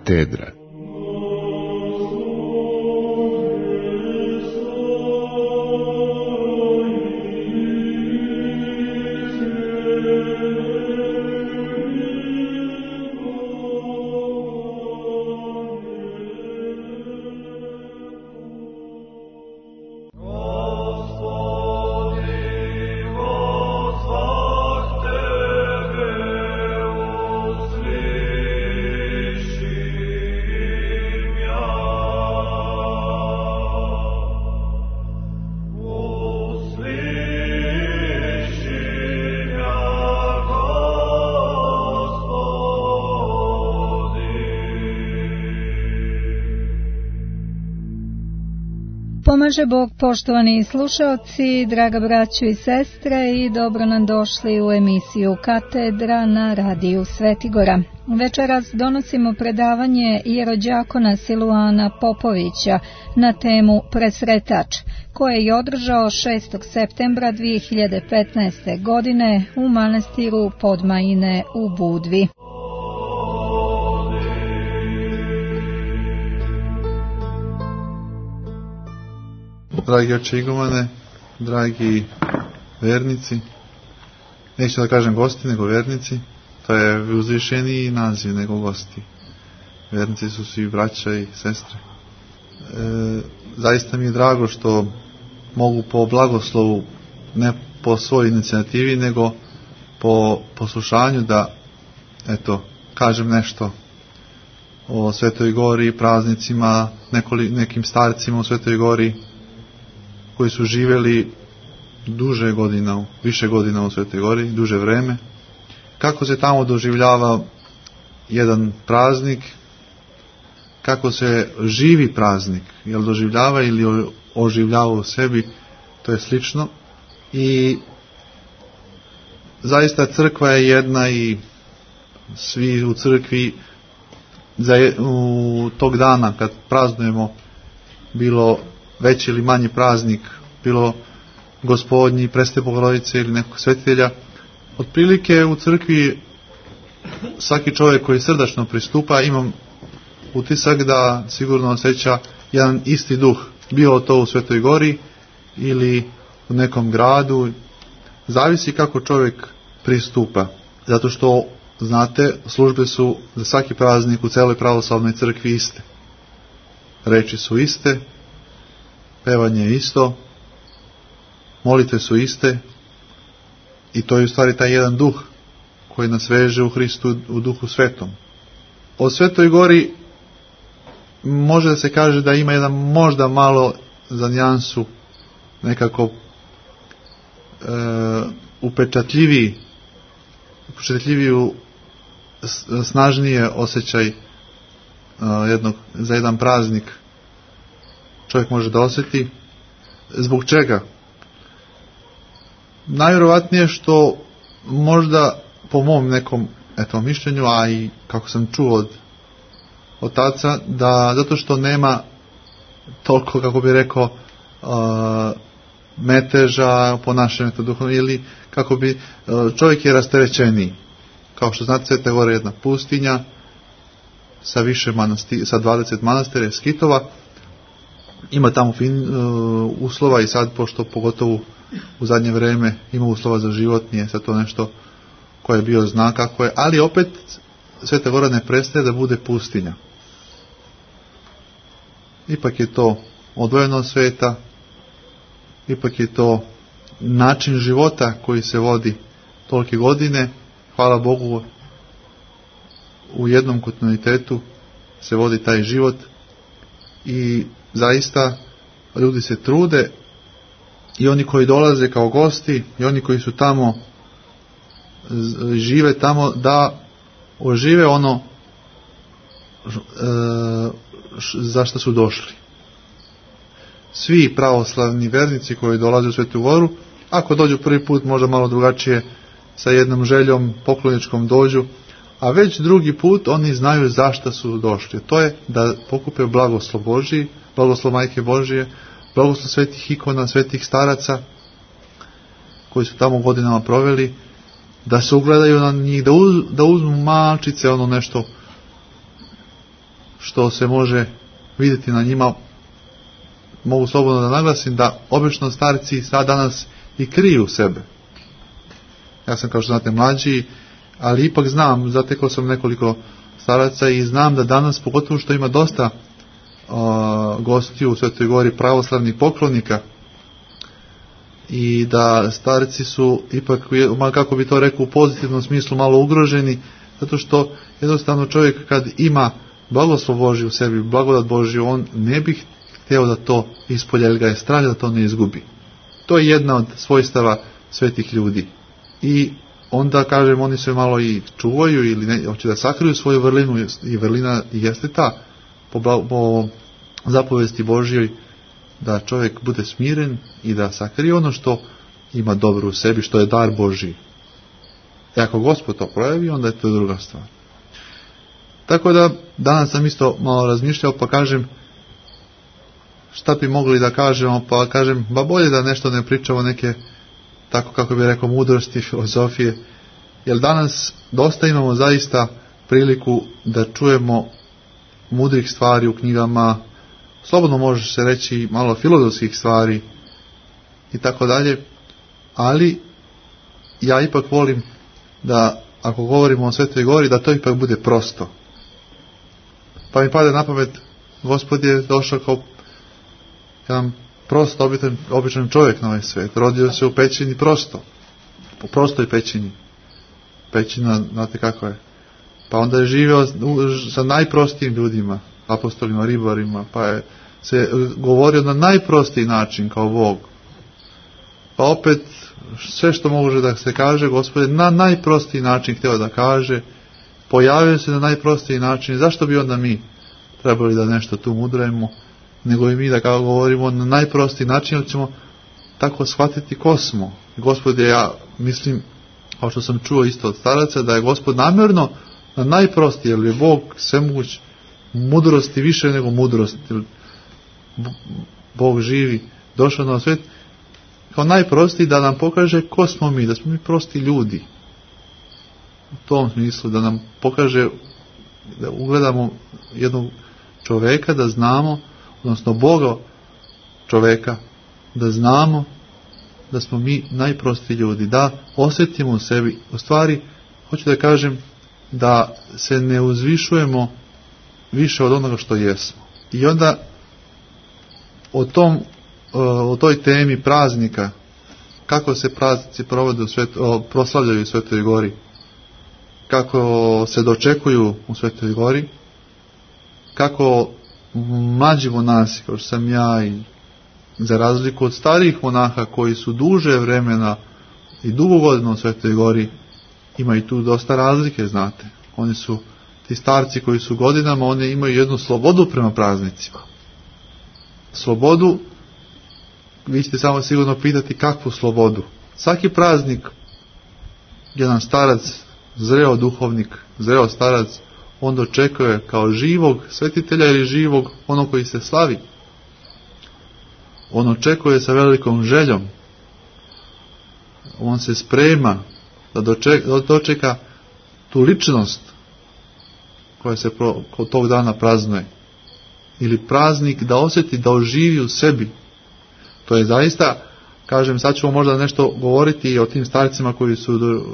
Katedra. Pomaže Bog, poštovani slušaoci, draga braćo i sestre, i dobro nam došli u emisiju Katedra na radiju Svetigora. Večeras donosimo predavanje jerođakona Siluana Popovića na temu Presretač, koje je održao 6. septembra 2015. godine u manastiru Podmajine u Budvi. Dragi oče igumane, dragi vernici, neću da kažem gosti, nego vernici, to je uzvišeniji naziv nego gosti. Vernici su svi braća i sestre. Zaista mi je drago što mogu po blagoslovu, ne po svojoj inicijativi, nego po poslušanju da, kažem nešto o Svetoj Gori, praznicima, nekim starcima u Svetoj Gori, koji su živjeli duže godina, više godina u Svetoj Gori, duže vreme. Kako se tamo doživljava jedan praznik, kako se živi praznik, jel doživljava ili oživljava u sebi, to je slično. I zaista crkva je jedna i svi u crkvi u tog dana kad praznujemo, bilo veći ili manji praznik, bilo Gospodnji, Presvete Bogorodice ili nekog svetitelja, otprilike u crkvi svaki čovjek koji srdačno pristupa, imam utisak da sigurno osjeća jedan isti duh, bilo to u Svetoj Gori ili u nekom gradu, zavisi kako čovjek pristupa, zato što, znate, službe su za svaki praznik u celoj pravoslavnoj crkvi iste, reči su iste, pevanje je isto, molitve su iste, i to je u stvari taj jedan duh koji nas veže u Hristu, u Duhu Svetom. O Svetoj Gori može da se kaže da ima jedan možda malo za nijansu nekako upečatljiviju, snažnije osjećaj za jedan praznik čovjek može da osjeti. Zbog čega? Najvjerovatnije što možda po mom nekom mišljenju, a i kako sam čuo od otaca, da zato što nema toliko, kako bi rekao, meteža po našem duhovnom, ili kako bi čovjek je rasterećeniji. Kao što znate, Sveta Gora je jedna pustinja sa više sa 20 manastira, skitova. Ima tamo uslova i sad, pošto pogotovo u zadnje vrijeme ima uslova za život, nije sad to nešto koje je bio znak kako je, ali opet Sveta Gora ne prestaje da bude pustinja. Ipak je to odvojeno od sveta, ipak je to način života koji se vodi tolike godine. Hvala Bogu, u jednom kontinuitetu se vodi taj život i zaista ljudi se trude, i oni koji dolaze kao gosti i oni koji su tamo, žive tamo, da ožive ono za što su došli. Svi pravoslavni vernici koji dolaze u Svetu Goru, ako dođu prvi put možda malo drugačije, sa jednom željom pokloničkom dođu, a već drugi put oni znaju zašto su došli. To je da pokupe blagoslov Božji, blagoslov Majke Božije, blagoslov svetih ikona, svetih staraca koji su tamo godinama proveli, da se ugledaju na njih, da uzmu malčice, ono nešto što se može vidjeti na njima, mogu slobodno da naglasim da obično starci sad danas i kriju sebe. Ja sam, kao što znate, mlađi, ali ipak znam, zatekao sam nekoliko staraca i znam da danas, pogotovo što ima dosta gostiju u Svetoj Gori, pravoslavnih poklonika, i da starci su ipak, kako bi to rekao, u pozitivnom smislu malo ugroženi, zato što jednostavno čovjek kad ima blagoslov Božji u sebi, blagodat Božju, on ne bi htio da to ispolja, jer ga je strah da to ne izgubi. To je jedna od svojstava svetih ljudi. I onda, kažem, oni se malo i čuvaju ili ne, hoće da sakriju svoju vrlinu, i vrlina jeste ta, po zapovesti Božjoj, da čovjek bude smiren i da sakrije ono što ima dobro u sebi, što je dar Božji. I ako Gospod to projavi, onda je to druga stvar. Tako da, danas sam isto malo razmišljao, pa kažem, šta bi mogli da kažemo, pa kažem, ba bolje da nešto ne pričamo neke, tako kako bi rekao, mudrosti, filozofije, jer danas dosta imamo zaista priliku da čujemo mudrih stvari u knjigama, slobodno može se reći malo filozofskih stvari i tako dalje, ali ja ipak volim da, ako govorimo o Svetoj Gori, da to ipak bude prosto. Pa mi pada na pamet, Gospod je došao kao jedan prost, običan čovjek na ovaj svijet. Rodio se u pećini prosto, u prostoj pećini. Pećina, znate kako je. Pa onda je živio sa najprostijim ljudima, apostolima, ribarima, pa je se govorio na najprostiji način kao Bog. Pa opet, sve što može da se kaže, Gospod je na najprostiji način htio da kaže, pojavio se na najprostiji način. Zašto bi onda mi trebali da nešto tu mudrujemo, nego i mi da kao govorimo na najprostiji način, jer ćemo tako shvatiti ko smo. Gospod je, ja mislim, kao što sam čuo isto od staraca, da je Gospod namjerno na najprostiji, jer je Bog svemoguć, mudrosti više nego mudrosti. Bog živi, došao na svijet kao najprostiji da nam pokaže ko smo mi, da smo mi prosti ljudi. U tom smislu, da nam pokaže, da ugledamo jednog čoveka, da znamo, odnosno Boga čoveka, da znamo da smo mi najprosti ljudi, da osjetimo u sebi, u stvari, hoću da kažem, da se ne uzvišujemo više od onoga što jesmo. I onda o toj temi praznika, kako se praznici provode proslavljaju u Svetoj Gori, kako se dočekuju u Svetoj Gori, kako mlađi monasi, kao što sam ja, i za razliku od starijih monaha koji su duže vremena i dugo godina u Svetoj Gori, ima i tu dosta razlike, znate. Oni su, ti starci koji su godinama, oni imaju jednu slobodu prema praznicima. Slobodu, vi ćete samo sigurno pitati kakvu slobodu. Svaki praznik, jedan starac, zreo duhovnik, zreo starac, on dočekuje kao živog svetitelja ili živog onog koji se slavi. On očekuje sa velikom željom. On se sprema da dočeka tu ličnost koja se kod tog dana praznuje. Ili praznik da osjeti, da oživi u sebi. To je zaista, kažem, sad ćemo možda nešto govoriti i o tim starcima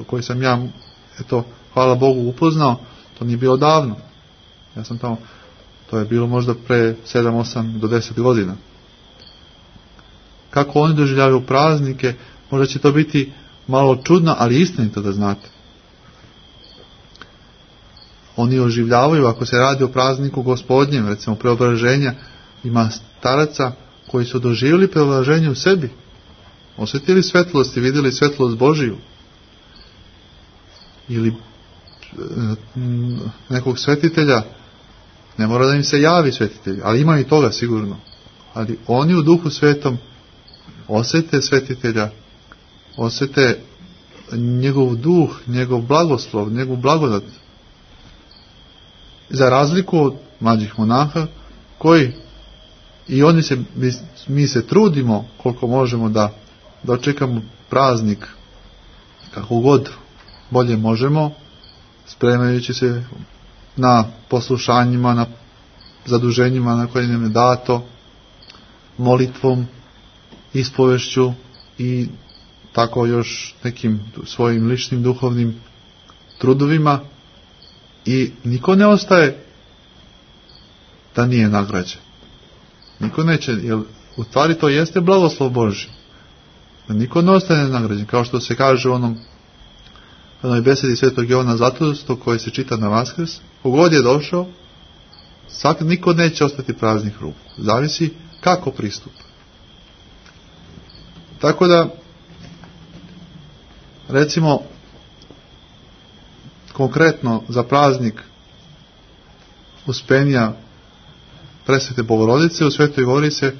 koji sam ja, eto, hvala Bogu, upoznao. To nije bilo davno. Ja sam tamo, to je bilo možda pre 7, 8 do 10 godina. Kako oni doživljavaju praznike, možda će to biti malo čudno, ali istinito da znate. Oni oživljavaju, ako se radi o prazniku Gospodnjem, recimo preobraženja, ima staraca koji su doživjeli preobraženje u sebi. Osjetili svetlost i vidjeli svetlost Božiju. Ili nekog svetitelja, ne mora da im se javi svetitelj, ali ima i toga sigurno. Ali oni u Duhu Svetom osjete svetitelja, osjete njegov duh, njegov blagoslov, njegov blagodat. Za razliku od mlađih monaha, koji i oni se, mi se trudimo koliko možemo da dočekamo praznik kako god bolje možemo, spremajući se na poslušanjima, na zaduženjima na koje nam je dato, molitvom, ispovešću i tako još nekim svojim ličnim duhovnim trudovima, i niko ne ostaje da nije nagrađen. Niko neće, jer u stvari to jeste blagoslov Božji. Da niko ne ostane nagrađen, kao što se kaže u onoj besedi Svetog Jovana Zlatulskog koji se čita na Vaskrs, kogod je došao, niko neće ostati praznih ruku. Zavisi kako pristupa. Tako da, recimo, konkretno za praznik Uspenja Presvete Bogorodice u Svetoj Gori se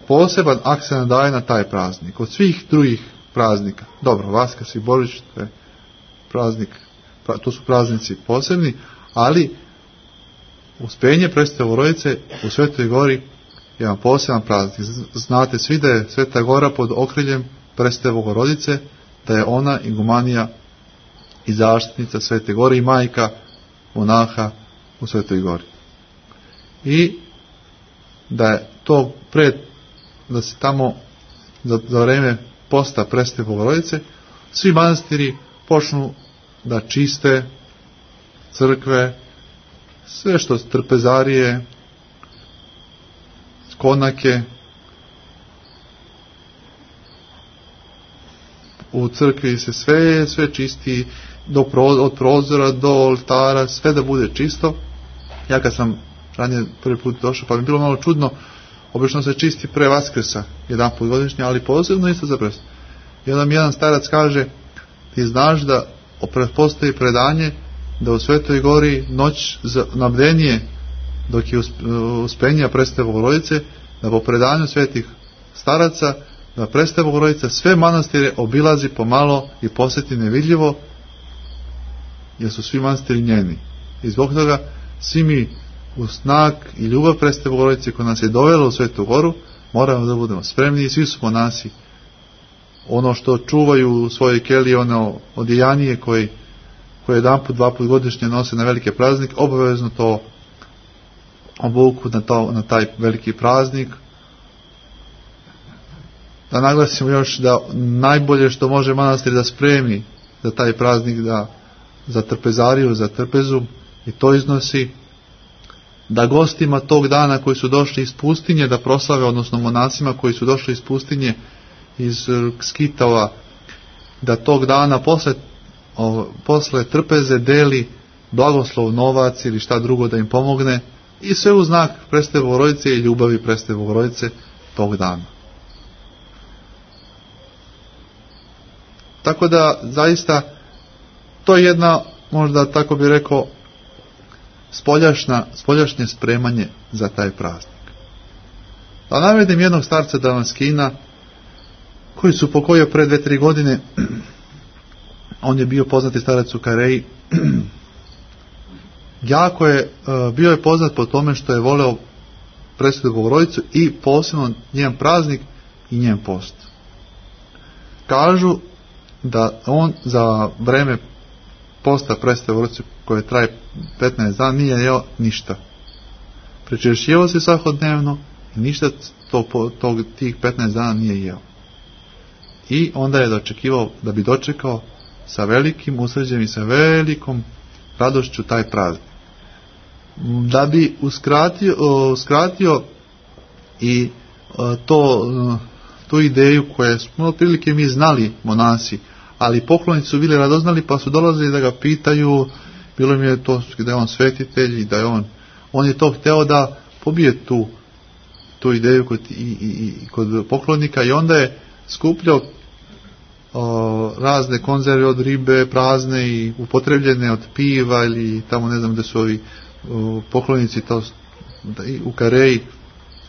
poseban akcent daje na taj praznik. Od svih drugih praznika, dobro, Vaskrs i Božić, to je praznik, to su praznici posebni, ali Uspenje Presvete Bogorodice u Svetoj Gori je jedan poseban praznik. Znate svi da je Sveta Gora pod okriljem Presvete Bogorodice, da je ona igumanija i zaštitnica Svete Gore i majka monaha u Svetoj Gori. I da je to da se tamo za vreme posta Presvete Bogorodice svi manastiri počnu da čiste crkve, sve što trpezarije, konake, u crkvi se sve čisti, od prozora do oltara, sve da bude čisto. Ja kad sam ranije prvi put došao, pa mi je bilo malo čudno, obično se čisti pre Vaskrsa, jedan put godišnje, ali posebno isto za Presvetu. I onda mi jedan starac kaže, ti znaš da postoji predanje da u Svetoj Gori noć na bdenije, dok je Uspenja Presvete Bogorodice, da po predanju svetih staraca, da Presveta Bogorodica sve manastire obilazi pomalo i posjeti nevidljivo, jer su svi manastiri njeni. I zbog toga svi mi u znak i ljubav Presvete Bogorodice koja nas je dovela u Svetu Goru, moramo da budemo spremni, i svi su monasi. Ono što čuvaju u svojoj keliji, ono odjejanije koje jedan put, dva put godišnje nose na velike praznik, obavezno to obuku na taj veliki praznik. Da naglasimo još da najbolje što može manastir da spremi za taj praznik, da za trpezariju, za trpezu, i to iznosi, da gostima tog dana koji su došli iz pustinje da proslave, odnosno monasima koji su došli iz pustinje, iz Skitova, da tog dana posle trpeze deli blagoslov, novac ili šta drugo da im pomogne, i sve u znak Presvete Bogorodice i ljubavi Presvete Bogorodice tog dana. Tako da zaista to je jedna, možda tako bi rekao, spoljašnje spremanje za taj praznik. Da navedem jednog starca Damaskina koji su pokojio pre 2-3 godine. On je bio poznati starac u Kareji. Jako je bio je poznat po tome što je voleo Presvetu Bogorodicu i posebno njen praznik i njen post. Kažu da on za vreme posta Presvete Bogorodice koje traje 15 dana nije jeo ništa. Prečešljivao se svakodnevno i ništa tih 15 dana nije jeo. I onda je da bi dočekao sa velikim usređem i sa velikom radošću taj praznik. Da bi uskratio i tu ideju koje smo otprilike mi znali monasi, ali poklonici su bili radoznali, pa su dolazili da ga pitaju, bilo mi je to da je on svetitelj i da je on je to hteo da pobije tu ideju kod poklonika, i onda je skupljao razne konzerve od ribe, prazne i upotrebljene od piva, ili tamo ne znam gde su ovi poklonici to u Kareji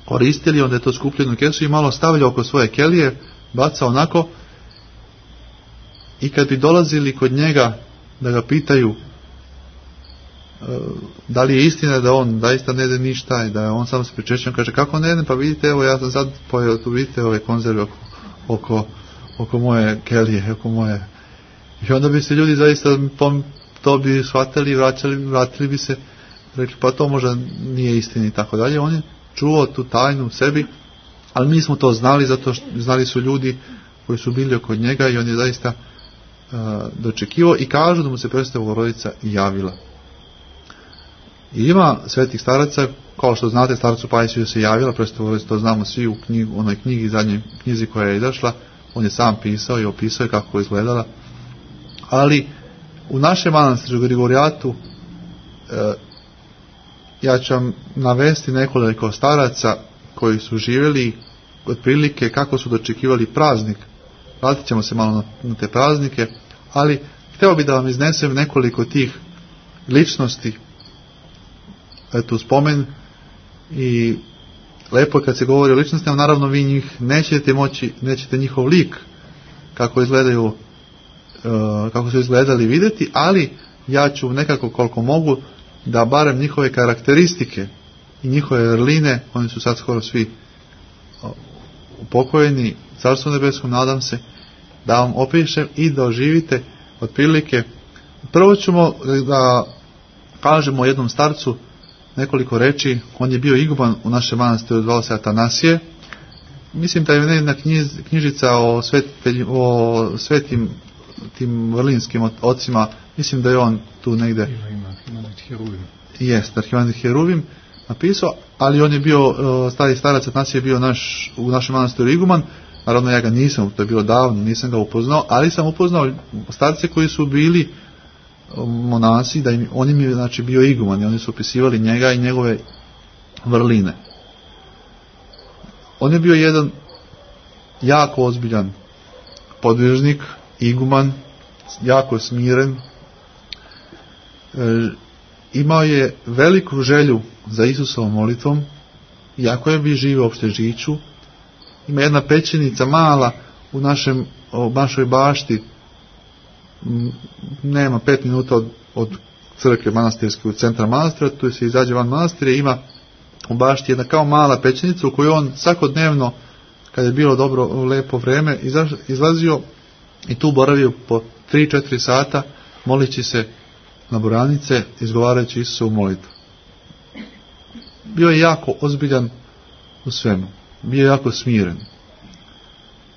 koristili. Onda je to skupljeno u kesu i malo stavljao oko svoje kelije, bacao onako, i kad bi dolazili kod njega da ga pitaju da li je istina da on zaista ne jede ništa i da je on samo se pričešćan, kaže kako ne jedem, pa vidite, evo ja sam sad pojeo, tu vidite ove konzerve oko moje kelije, oko moje. I onda bi se ljudi zaista to bi shvatili i vratili bi se rekli pa to možda nije istina i tako dalje. On je čuvao tu tajnu u sebi, ali mi smo to znali, zato što znali su ljudi koji su bili oko njega i on je zaista dočekivao i kažu da mu se Presvetova Bogorodica javila. I ima svetih staraca, kao što znate, starcu Pajsiju se javila Presvetova Bogorodica, to znamo svi u onoj knjigi, zadnjoj knjizi koja je izašla, on je sam pisao i opisao kako je izgledala. Ali u našem manastiru Grigorijatu ja ću vam navesti nekoliko staraca koji su živjeli otprilike kako su dočekivali praznik. Vratit ćemo se malo na te praznike, ali htio bih da vam iznesem nekoliko tih ličnosti, eto spomen, i lepo je kad se govori o ličnostima, naravno vi njih nećete njihov lik kako izgledaju, kako su izgledali vidjeti, ali ja ću nekako koliko mogu da barem njihove karakteristike i njihove vrline, oni su sad skoro svi upokojeni, Carstvu nebeskom, nadam se, da vam opišem i da oživite otprilike. Prvo ćemo da kažemo o jednom starcu nekoliko reči. On je bio iguman u našem manastiru, zvao se Atanasije. Mislim da je jedna knjižica o svetim tim vrlinskim ocima, mislim da je on tu negde Arhimandrit Heruvim napisao, ali on je bio, stari starac Atanasije je bio u našem manastiru iguman. Naravno ja ga nisam, to je bilo davno, nisam ga upoznao, ali sam upoznao starce koji su bili monasi, on im je znači bio iguman i oni su opisivali njega i njegove vrline. On je bio jedan jako ozbiljan podvižnik, iguman, jako smiren, imao je veliku želju za Isusovom molitvom, iako je bi živio uopšte Žiču. Ima jedna pećenica mala u našoj bašti, nema 5 minuta od crkve manastirske, u centra manastira, tu se izađe van manastira, ima u bašti jedna kao mala pećenica u kojoj on svakodnevno, kada je bilo dobro, lepo vreme, izlazio i tu boravio po 3-4 sata, molići se na boranice, izgovarajući Isusovu molitvu. Bio je jako ozbiljan u svemu. Bio je jako smiren.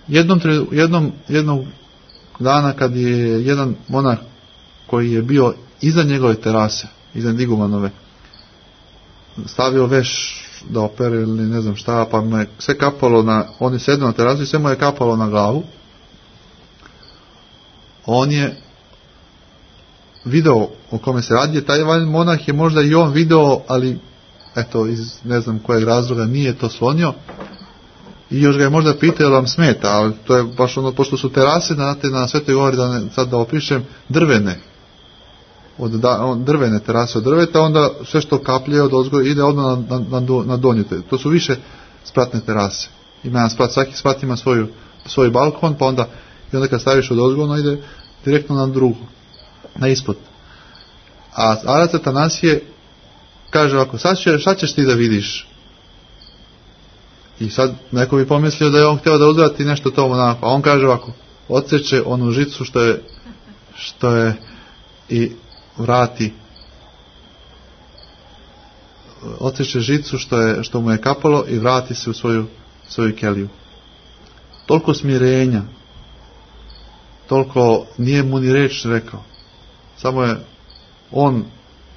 Jednog dana kad je jedan monah koji je bio iza njegove terase, iza igumanove, stavio veš da opere ili ne znam šta, pa mu je sve kapalo on je sedao na terasu i sve mu je kapalo na glavu. On je video o kome se radi, taj monah je možda i on video, ali eto, iz ne znam kojeg razloga nije to slonio i još ga je možda pitao jel vam smeta, ali to je baš ono, pošto su terase na Svetoj Gori, sad da opišem, drvene, drvene terase od drveta, onda sve što kaplje od ozgo ide odmah na donju. To su više spratne terase. Ima jedan sprat, svaki sprat ima svoj balkon, pa onda kad staviš od ozgo, ide direktno na drugu, na ispod. A starac Atanasije kaže ovako, šta ćeš ti da vidiš? I sad neko bi pomislio da je on htio da uzvrati nešto to monahu, a on kaže ovako, odseče onu žicu što je i vrati, odseče žicu što mu je kapalo i vrati se u svoju keliju. Toliko smirenja, toliko nije mu ni reč rekao, samo je on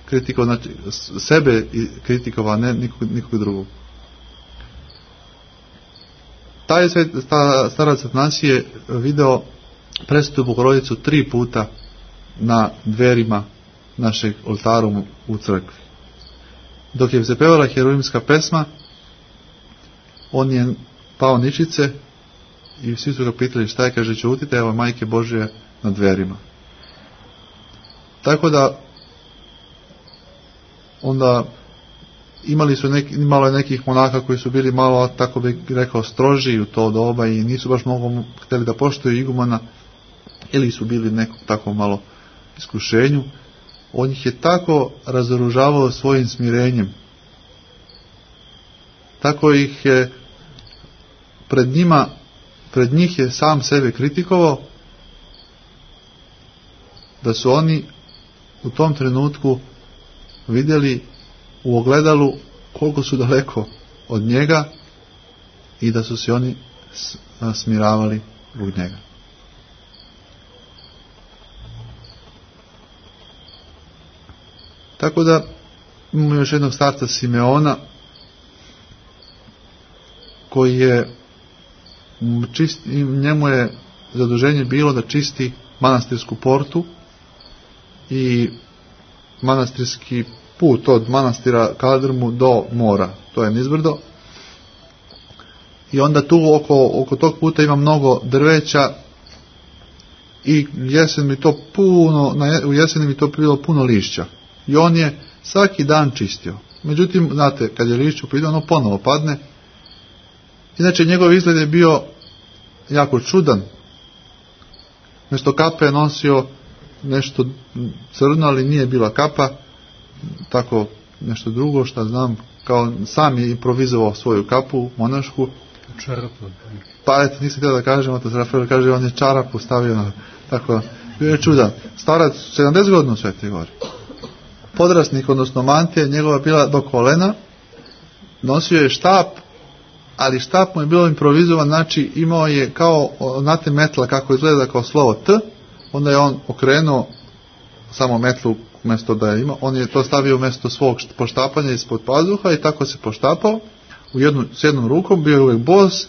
kritikovao, znači sebe kritikovao, ne nikog drugog. Taj starac Atanasije video Presvetu Bogorodicu 3 puta na dverima našeg oltara u crkvi. Dok je se pevala heruvimska pesma, on je pao ničice i svi su ga pitali šta je, kaže, ćutite, evo Majke Božje na dverima. Tako da onda imalo je nekih monaka koji su bili malo, tako bih rekao, stroži u to doba i nisu baš mnogo htjeli da poštuju igumana, ili su bili nekom tako malo iskušenju. On ih je tako razoružavao svojim smirenjem, tako ih je pred njih je sam sebe kritikovao, da su oni u tom trenutku vidjeli u ogledalu koliko su daleko od njega i da su se oni smiravali zbog njega. Tako da imamo još jednog starca Simeona koji je njemu je zaduženje bilo da čisti manastirsku portu i manastirski put od manastira Kaldrmu do mora, to je nizbrdo. I onda tu oko tog puta ima mnogo drveća i u jeseni mi to bilo puno lišća. I on je svaki dan čistio. Međutim, znate, kad je lišće upitao, ono ponovo padne. Inače, njegov izgled je bio jako čudan. Nešto kape je nosio nešto crno, ali nije bila kapa. Tako nešto drugo, šta znam, kao sam je improvizovao svoju kapu monašku. Čarapu. Pa eto, nisam htio da kažem, otac Rafael kaže, on je čarapu stavio, tako, bio je čudan. Starac, 70 godina u Svetoj Gori. Podrasnik, odnosno mantija, njegova bila do kolena, nosio je štap, ali štap mu je bilo improvizovan, znači imao je kao, znate metla kako izgleda kao slovo T, onda je on okrenuo samo metlu umjesto da je imao, on je to stavio umjesto svog poštapanja ispod pazuha i tako se poštapao s jednom rukom, bio je uvijek bos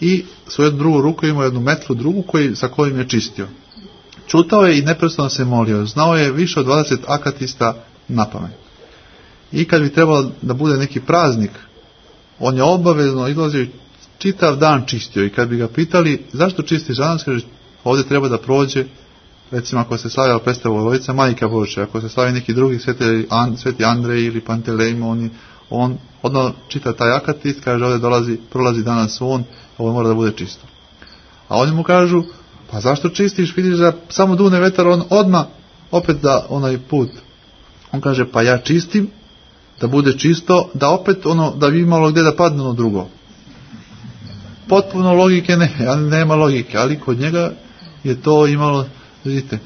i s jednu drugu ruku imao jednu metlu drugu sa kojim je čistio. Čutao je i neprestano se molio, znao je više od 20 akatista napamet. I kad bi trebalo da bude neki praznik, on je obavezno izlazio i čitav dan čistio. I kad bi ga pitali zašto čistiš danas, kaže ovdje treba da prođe, recimo ako se slavila Prestava Bogorodica, Majka Božja, ako se slavi neki drugi sveti Andrej ili Pantelejmo, on odmah čita taj akatist, kaže ovdje prolazi danas on, ovo mora da bude čisto. A oni mu kažu, pa zašto čistiš, vidiš da samo dune vetar, on odmah opet da onaj put. On kaže, pa ja čistim da bude čisto, da opet da bi imalo gdje da padne ono drugo. Potpuno logike nema logike, ali kod njega je to imalo, vidite,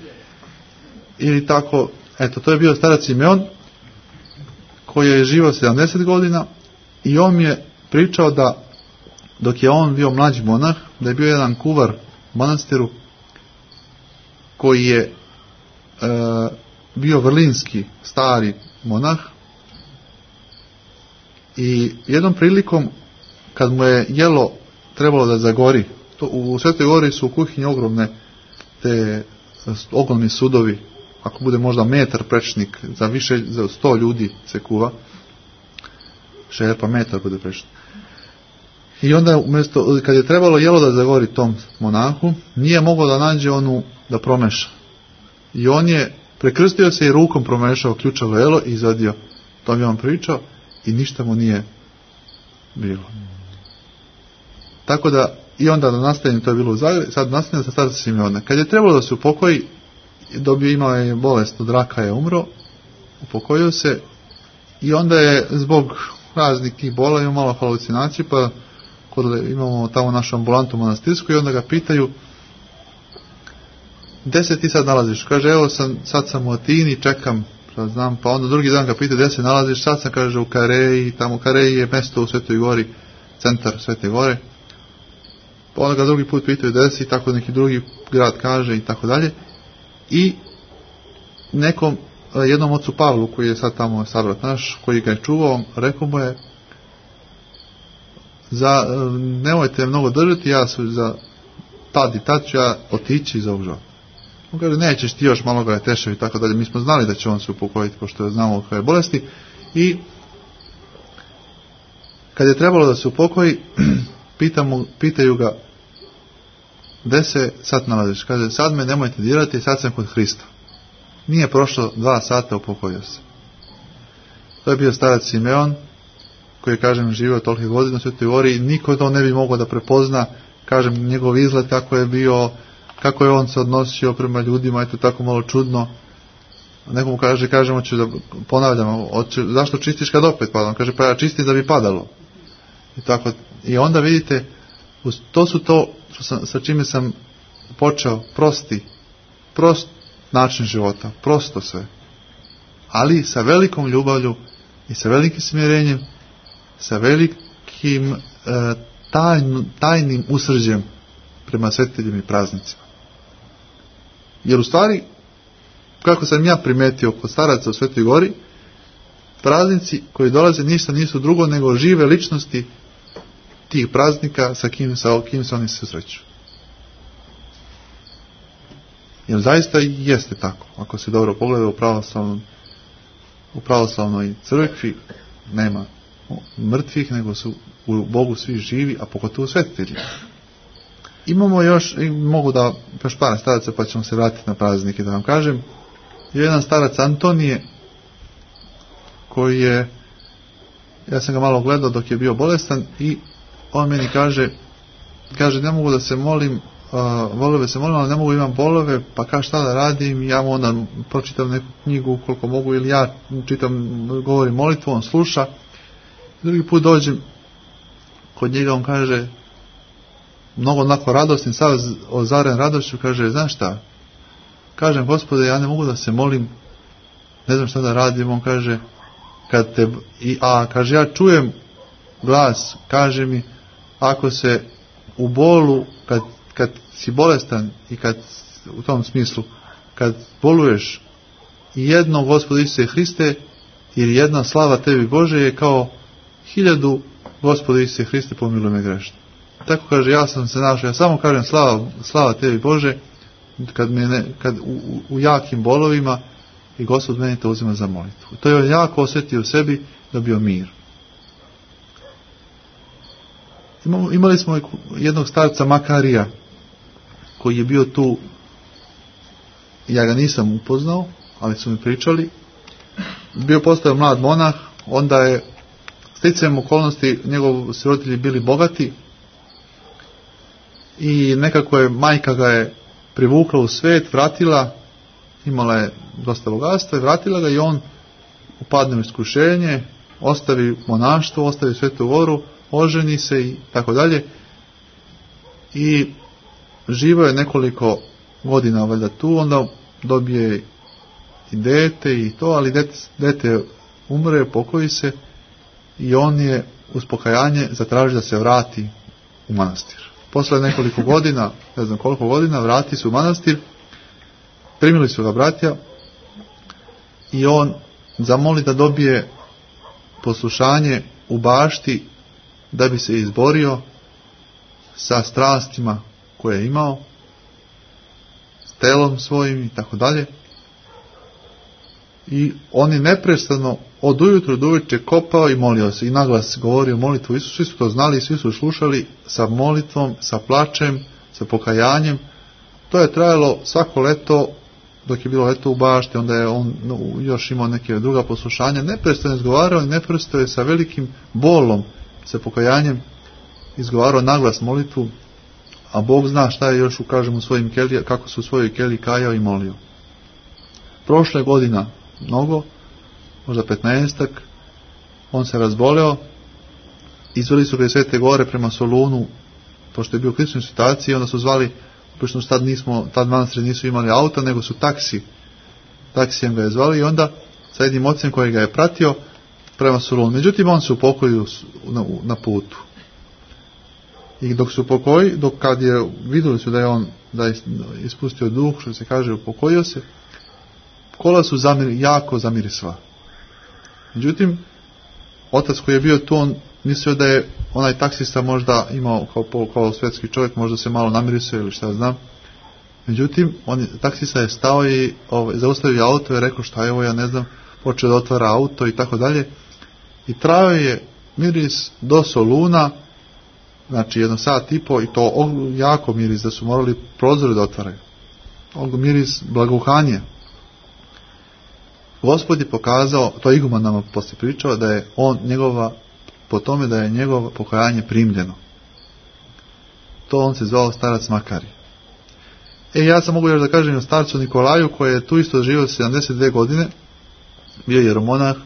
ili tako, eto, to je bio starac Simeon, koji je živio 70 godina i on mi je pričao da, dok je on bio mlađi monah, da je bio jedan kuvar u manastiru, koji je bio vrlinski, stari monah, i jednom prilikom, kad mu je jelo trebalo da zagori, u Svetoj Gori su u kuhinji ogromni sudovi, ako bude možda metar prečnik, za 100 ljudi se kuva, šerpa metar bude prečnik. I onda kad je trebalo jelo da zagori tom monahu, nije mogao da nađe da promeša. I on je prekrstio se i rukom promešao ključavo jelo i izvadio. To mi on pričao i ništa mu nije bilo. Tako da, i onda da nastavim, to je bilo u Zagrebu, sad nastavim sa starca Simeona. Kad je trebalo da se upokoji, imao je bolest od raka, je umro, upokojio se i onda je zbog raznih tih bola imao malo halucinaciju, pa imamo tamo našu ambulantu monastirsku i onda ga pitaju, gde se ti sad nalaziš? Kaže, evo sad sam u Atini, čekam, šta znam, pa onda drugi dan ga pita gde se nalaziš, sad sam, kaže, u Kareji, tamo Kareji je mesto u Svetoj Gori, centar Svete Gore, pa onda ga drugi put pitaju gde si, tako neki drugi grad kaže i tako dalje, i jednom ocu Pavlu, koji je sad tamo sabrat naš, koji ga je čuvao, rekao mu je, nemojte mnogo držati, ja za tad ću ja otići iz ovog života. On kaže, nećeš ti još malo ga teševi i tako dalje. Mi smo znali da će on se upokojiti, pošto znamo koje bolesti. I kad je trebalo da se upokoji, pitaju ga, gde se sad nalaziš? Kaže, sad me nemojte dirati, sad sam kod Hrista. Nije prošlo 2 sata, upokojio se. To je bio starac Simeon, koji je, kažem, živio tolike godine u Svetoj Gori i niko to ne bi mogao da prepozna, kažem, njegov izgled kako je bio, kako je on se odnosio prema ljudima, eto tako malo čudno. Nekomu kažemo, ću da ponavljamo, zašto čistiš kad opet pada? On kaže, pa ja čistim da bi padalo. I tako, i onda vidite, to su to sa čime sam počeo, prost način života, prosto sve. Ali sa velikom ljubavlju i sa velikim smirenjem, sa velikim tajnim usrđem prema svetiteljima i praznicima. Jer u stvari, kako sam ja primetio kod staraca u Svetoj Gori, praznici koji dolaze ništa nisu drugo nego žive ličnosti tih praznika sa kim se oni susreću. Jer zaista jeste tako. Ako se dobro pogleda u pravoslavnoj crkvi nema mrtvih, nego su u Bogu svi živi, a pogotovo svetitelji. Imamo još, mogu da još par staraca pa ćemo se vratiti na praznike da vam kažem. Jedan starac Antonije koji je, ja sam ga malo gledao dok je bio bolestan i on meni kaže ne mogu da se molim, volove se molim, ali ne mogu, imam bolove, pa kaže šta da radim, ja mu onda pročitam neku knjigu koliko mogu ili ja čitam, govorim molitvu, on sluša. Drugi put dođem kod njega, on kaže mnogo onako radosni, sav ozaren radošću, kaže znaš šta, kažem Gospode, ja ne mogu da se molim, ne znam šta da radim. On kaže kaže ja čujem glas, kaže mi ako se u bolu, kad si bolestan i kad u tom smislu kad boluješ, jedno Gospode Isuse Hriste ili jedna slava tebi Bože je kao 1000 Gospode Isuse Hriste pomiluj me grešno. Tako kaže, ja sam se našao, ja samo kažem slava tebi Bože kad u jakim bolovima i Gospod meni to uzima za molitvu. To je on jako osjetio u sebi, dobio mir. Imali smo jednog starca Makarija koji je bio tu, ja ga nisam upoznao, ali su mi pričali. Postao mlad monah, onda je sticajem okolnosti njegovi roditelji bili bogati i nekako je majka ga je privukla u svet, vratila, imala je dosta bogatstva i vratila ga i on upadne u iskušenje, ostavi monaštvo, ostavi Svetu Goru, oženi se i tako dalje i živio je nekoliko godina valjda tu, onda dobije i dete i to, ali dete umre, pokoji se i on je uz pokajanje zatraži da se vrati u manastir. Posle nekoliko godina, ne znam koliko godina, vrati se u manastir, primili su ga bratja i on zamoli da dobije poslušanje u bašti da bi se izborio sa strastima koje je imao, s telom svojim i tako dalje. I on je neprestano od ujutru do uveče kopao i molio se i naglas govorio molitvu Isusu. Svi su to znali, svi su slušali sa molitvom, sa plačem, sa pokajanjem. To je trajalo svako leto, dok je bilo leto u bašti, onda je on još imao neke druga poslušanja. Neprestano izgovarao i neprestano je sa velikim bolom, sa pokajanjem izgovarao naglas molitvu, a Bog zna šta je još u svojim kelijama, kako su u svojoj keliji kajao i molio. Prošle godina mnogo, možda 15-ak, on se razboleo, izveli su ga iz Svete Gore prema Solunu, pošto je bio u kriznoj situaciji, onda su zvali, pošto tad manastiri nisu imali auta, nego su taksijem ga je zvali i onda sa jednim ocem koji ga je pratio prema Solunu. Međutim, on se upokojio na putu. I dok se upokojio, kad je vidjeli su da je ispustio duh, što se kaže, upokojio se, kola su jako zamirisala. Međutim, otac koji je bio tu, on mislio da je onaj taksista možda imao kao svjetski čovjek, možda se malo namirisao ili šta znam. Međutim, taksista je stao i zaustavio auto i rekao šta je ovo, ja ne znam, počeo da otvara auto i tako dalje. I trajao je miris do Soluna, znači 1 sat i po, i to jako miris, da su morali prozore da otvaraju. Miris blagouhanja. Gospod je pokazao, to iguman nama poslije pričao, da je po tome da je njegovo pokajanje primljeno. To on se zvao starac Makari. Ja sam mogu još da kažem o starcu Nikolaju, koji je tu isto živio 72 godine, bio je jeromonah,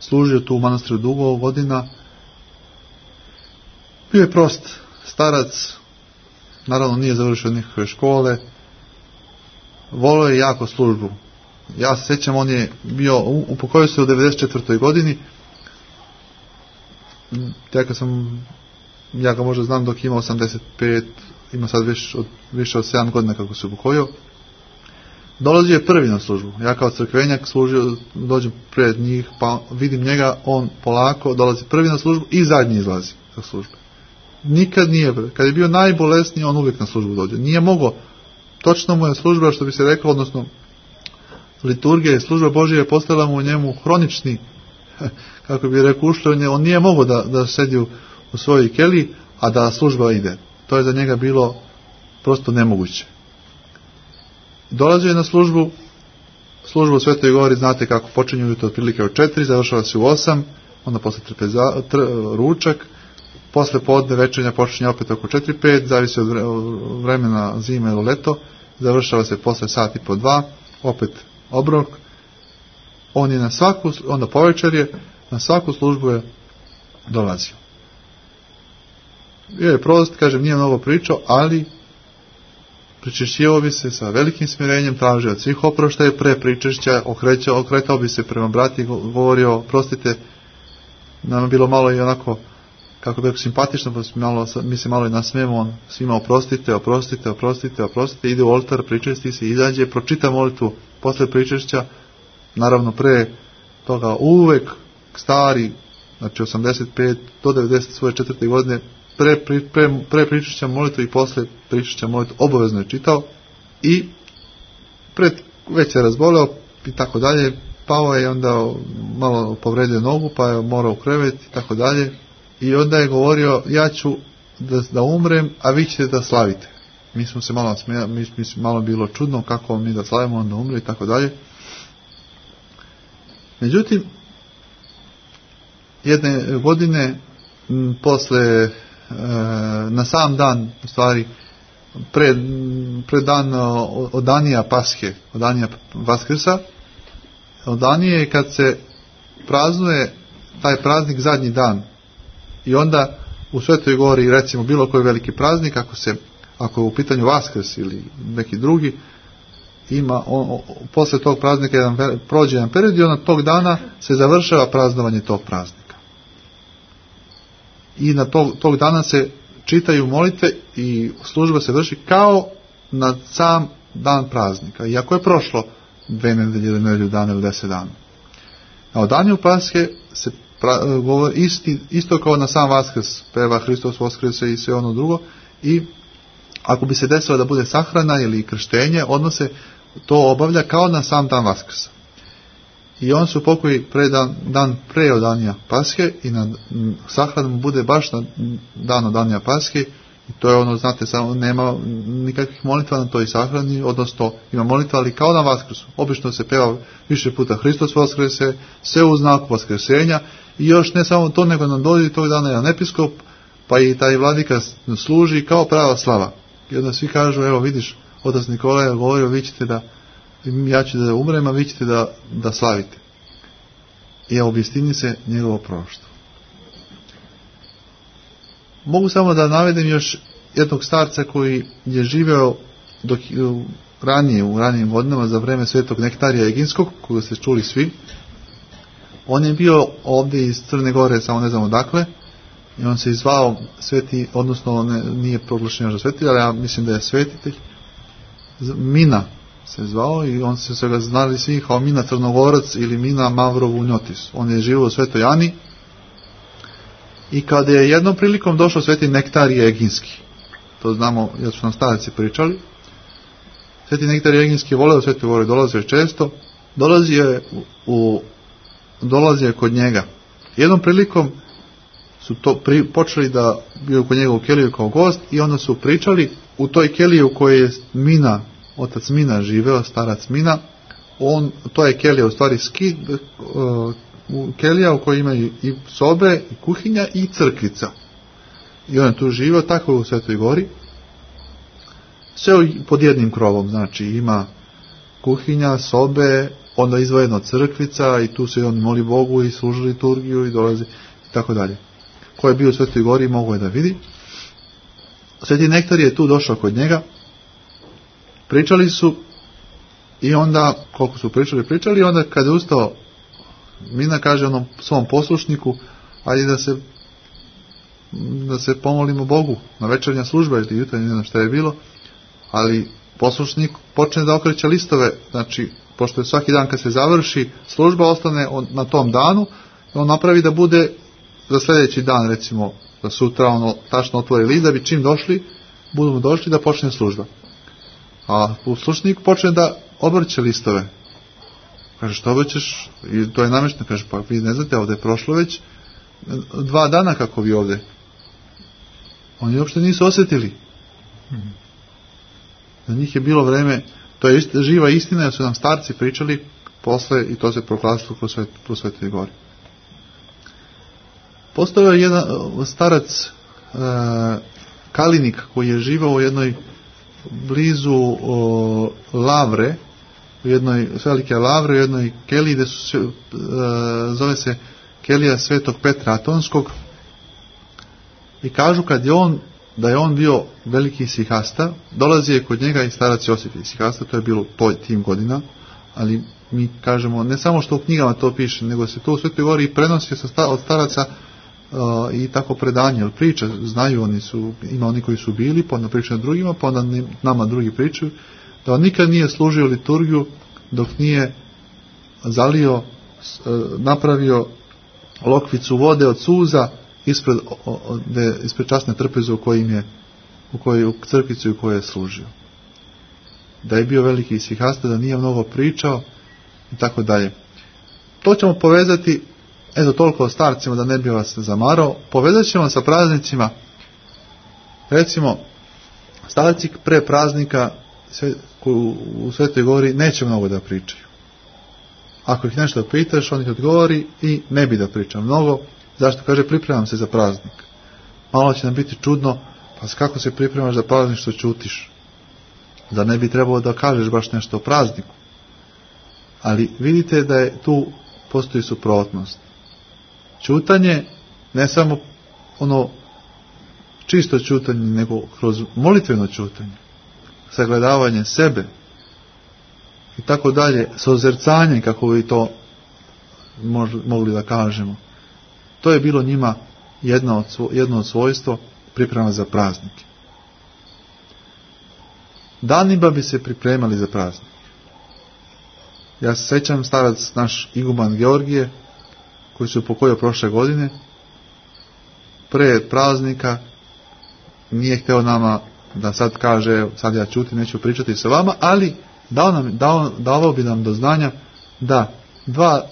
služio tu u manastiru dugo godina, bio je prost starac, naravno nije završio nikakve škole, volio je jako službu. Ja se sjećam, on je bio, upokojio se u 94. godini, ja ga možda znam dok ima 85, ima sad više od 7 godina kako se upokojio. Dolazio je prvi na službu. Ja kao crkvenjak dođem pred njih, pa vidim njega, on polako dolazi prvi na službu i zadnji izlazi sa službe. Nikad nije, kad je bio najbolesniji, on uvijek na službu dođe. Nije mogao, točno mu je služba, što bi se reklo, odnosno liturgija i služba Božja je postala mu u njemu hronični, kako bi rekao, ušlo, on nije mogao da sedi u svojoj keliji, a da služba ide. To je za njega bilo prosto nemoguće. Dolazio je na služba u Svetoj Gori, znate kako počinju ujutro otprilike od 4, završava se u 8, onda posle ručak, posle podne večernja počinje opet oko 4-5, zavisi od vremena zime ili leto, završava se posle sat i po 2, opet obrok. On je onda povečer na svaku službu je dolazio. Bio je prost, kažem, nije mnogo pričao, ali pričešćivao bi se sa velikim smirenjem, tražio od svih oproštaje pre pričešća, okretao bi se prema brati, govorio, prostite, nam je bilo malo i onako, kako bi rekao, simpatično, pa mi se malo i nasmijemo, on svima oprostite, ide u oltar, pričesti se, izađe, pročita molitvu posle pričešća, naravno pre toga uvek stari, znači 85 do 90 svoje 4. godine, pre pričešća molitvu i posle pričešća molitvu obavezno je čitao i već se razboleo i tako dalje, pao je, onda malo povredio nogu, pa je morao u krevet i tako dalje, i onda je govorio, ja ću da umrem, a vi ćete da slavite. Mi smo se malo smijali, malo bilo čudno kako mi da slavimo, onda umre i tako dalje. Međutim, jedne godine posle, na sam dan, u stvari pred dan odanija Pashe, odanija Vaskrsa, odanije kad se praznuje taj praznik zadnji dan, i onda u Svetoj Gori, recimo bilo koji veliki praznik, ako je u pitanju Vaskrs ili neki drugi, posle tog praznika prođe jedan period i onda tog dana se završava praznovanje tog praznika. I na tog dana se čitaju molitve i služba se vrši kao na sam dan praznika. Iako je prošlo 2 nedelje ili nedelju dana ili 10 dana. Na odanju Pashe se govori isto kao na sam Vaskrs, peva Hristos Voskrese i sve ono drugo, i ako bi se desilo da bude sahrana ili krštenje, odmah se to obavlja kao na sam dan Vaskrsa. I on se upokoji dan pre odanija Pashe i na sahranu mu bude baš na dan odanija Pashe, i to je ono, znate, samo nema nikakvih molitva na toj sahrani, odnosno ima molitva, ali kao na Vaskrsu. Obično se peva više puta Hristos Voskrese, sve u znaku Vaskrsenja, i još ne samo to, nego nam dođe tog dana jedan episkop, pa i taj vladika služi kao prava slava. I onda svi kažu, evo vidiš, otac Nikola je govorio, vi ćete ja ću da umrem, a vi ćete da slavite. I obistini se njegovo proroštvo. Mogu samo da navedem još jednog starca koji je živeo u ranijim godinama za vreme Svetog Nektarija Eginskog, koga ste čuli svi. On je bio ovdje iz Crne Gore, samo ne znam odakle, i on se zvao sveti, odnosno nije proglašen još za svetitelj, ali ja mislim da je svetitelj. Mina se zvao, i on se ga znali svi kao Mina Crnogorac ili Mina Mavrov Unjotis. On je živio u Svetoj Ani, i kada je jednom prilikom došao Sveti Nektarije Eginski, to znamo jer su nam starci pričali, Sveti Nektarije Eginski je voleo Svetoj Gori, dolazio je često, dolazio je kod njega. Jednom prilikom su počeli da bio kod njega u keliju kao gost, i onda su pričali u toj keliji u kojoj je otac Mina živeo, starac Mina. To je kelija u stvari kelija u kojoj imaju i sobe, i kuhinja, i crkvica. I on je tu živeo, tako u Svetoj Gori. Sve pod jednim krovom, znači ima kuhinja, sobe, onda izdvojeno crkvica, i tu se on moli Bogu i služi liturgiju i dolazi i tako dalje. Ko je bio u Svetoj Gori mogao je da vidi. Sveti Nektar je tu došao kod njega, pričali su, i onda koliko su pričali, onda kada je ustao Mina, kaže onom svom poslušniku, ajde da se da se pomolimo Bogu na večernja služba ili jutarnja, ne znam šta je bilo, ali poslušnik počne da okreće listove, znači pošto je svaki dan kad se završi služba ostane na tom danu, on napravi da bude za sljedeći dan, recimo da sutra ono tačno otvori list da bi čim budemo došli da počne služba. A poslušnik počne da obrće listove. Kaže, što obrćeš? I to je namješteno. Kaže, pa vi ne znate, ovdje je prošlo već 2 dana kako vi ovdje. Oni uopšte nisu osjetili. Za njih je bilo vreme, to je živa istina, jer su nam starci pričali posle i to se proglasilo kroz Svetoj Gori. Postojao je jedan starac Kalinik koji je živao u jednoj blizu Lavre, u jednoj velike Lavre, u jednoj keliji gdje zove se kelija Svetog Petra Atonskog, i kažu da je on bio veliki sihasta, dolazi je kod njega i starac Josif sihasta, to je bilo tim godina, ali mi kažemo, ne samo što u knjigama to piše, nego se to u Svetoj Gori i prenosi od staraca i tako predanje, jer priča, znaju ima oni koji su bili, pa onda pričaju drugima, pa onda nama drugi pričaju, da on nikad nije služio liturgiju dok nije napravio lokvicu vode od suza ispred časne trpeze u crkvici u kojoj je služio. Da je bio veliki sihasta, da nije mnogo pričao i tako dalje. To ćemo povezati, eto toliko o starcima da ne bi vas zamarao, povezat ćemo sa praznicima. Recimo, starci pre praznika u Svetoj Gori neće mnogo da pričaju. Ako ih nešto pitaš, on ih odgovori i ne bi da priča mnogo. Zašto? Kaže, pripremam se za praznik. Malo će nam biti čudno, pa kako se pripremaš za praznik što ćutiš? Da ne bi trebalo da kažeš baš nešto o prazniku. Ali vidite da je tu postoji suprotnost. Ćutanje, ne samo ono čisto ćutanje, nego kroz molitveno ćutanje, sagledavanje sebe i tako dalje, sozercanje, kako bi to mogli da kažemo. To je bilo njima jedno od svojstva priprema za praznike. Danima bi se pripremali za praznik. Ja se sećam, starac naš iguman Georgije, koji se upokojio prošle godine, pre praznika nije hteo nama da sad kaže, sad ja ćutim, neću pričati sa vama, ali dao bi nam do znanja da 1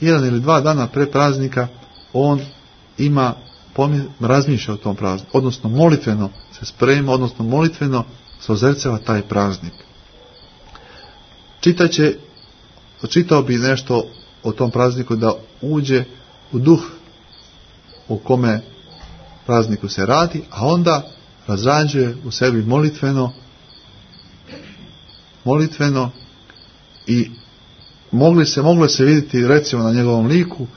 ili 2 dana pre praznika on razmišlja o tom prazniku, odnosno molitveno se sprema, odnosno molitveno se ozerceva taj praznik. Čitao bi nešto o tom prazniku da uđe u duh u kome prazniku se radi, a onda razrađuje u sebi molitveno i moglo se vidjeti recimo na njegovom liku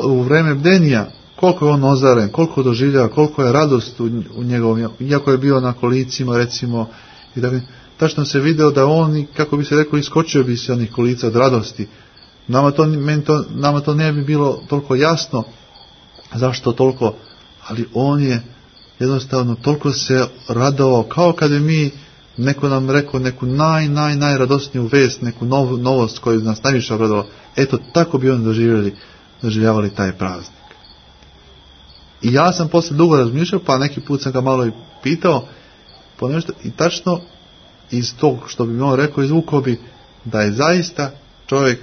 u vreme bdenja koliko je on ozaren, koliko doživljava, koliko je radost u njegovom, iako je bio na kolicima recimo, i da bi tačno se video da on, kako bi se rekao, iskočio bi se onih kolica od radosti. Nama to ne bi bilo toliko jasno zašto toliko, ali on je jednostavno toliko se radovao, kao kada mi neko nam rekao neku najradosniju vest, neku novost koju nas najviše obradovao. Eto, tako bi on doživljavali taj praznik. I ja sam posle dugo razmišljao, pa neki put sam ga malo i pitao po nešto, i tačno iz tog što bi on rekao, izvukao bi da je zaista čovjek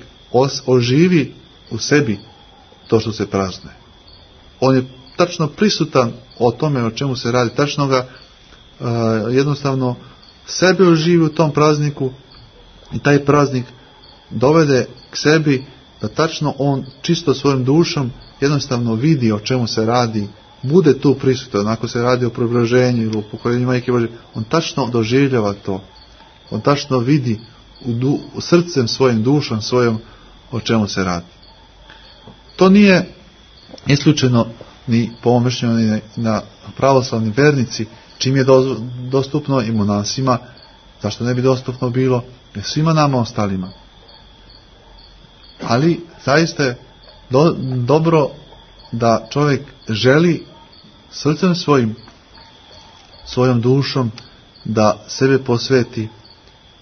oživi u sebi to što se praznuje. On je tačno prisutan o tome o čemu se radi, tačno ga jednostavno sebe oživi u tom prazniku i taj praznik dovede k sebi da tačno on čisto svojom dušom jednostavno vidi o čemu se radi, bude tu prisutan. Ako se radi o preobraženju ili o pokoljenju Majke Božje, on tačno doživljava to. On tačno vidi u srcem svojim, dušom svojom o čemu se radi. To nije isključeno ni po mom mišljenju ni na pravoslavni vernici, čim je dostupno i monasima, zašto ne bi dostupno bilo svima nama ostalima. Ali zaista je dobro da čovjek želi srcem svojom dušom da sebe posveti,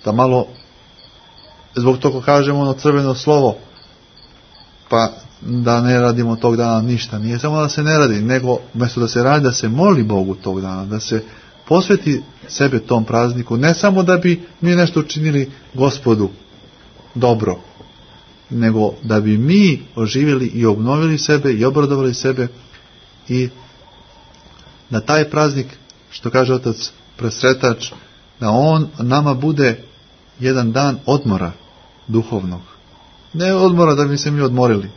da malo, zbog toga kažemo ono crveno slovo, pa da ne radimo tog dana ništa. Nije samo da se ne radi, nego umjesto da se radi, da se moli Bogu tog dana, da se posveti sebe tom prazniku, ne samo da bi mi nešto učinili Gospodu dobro, nego da bi mi oživjeli i obnovili sebe i obradovali sebe i da taj praznik, što kaže Otac Presretač, da on nama bude jedan dan odmora duhovnog. Ne odmora da bi se mi odmorili,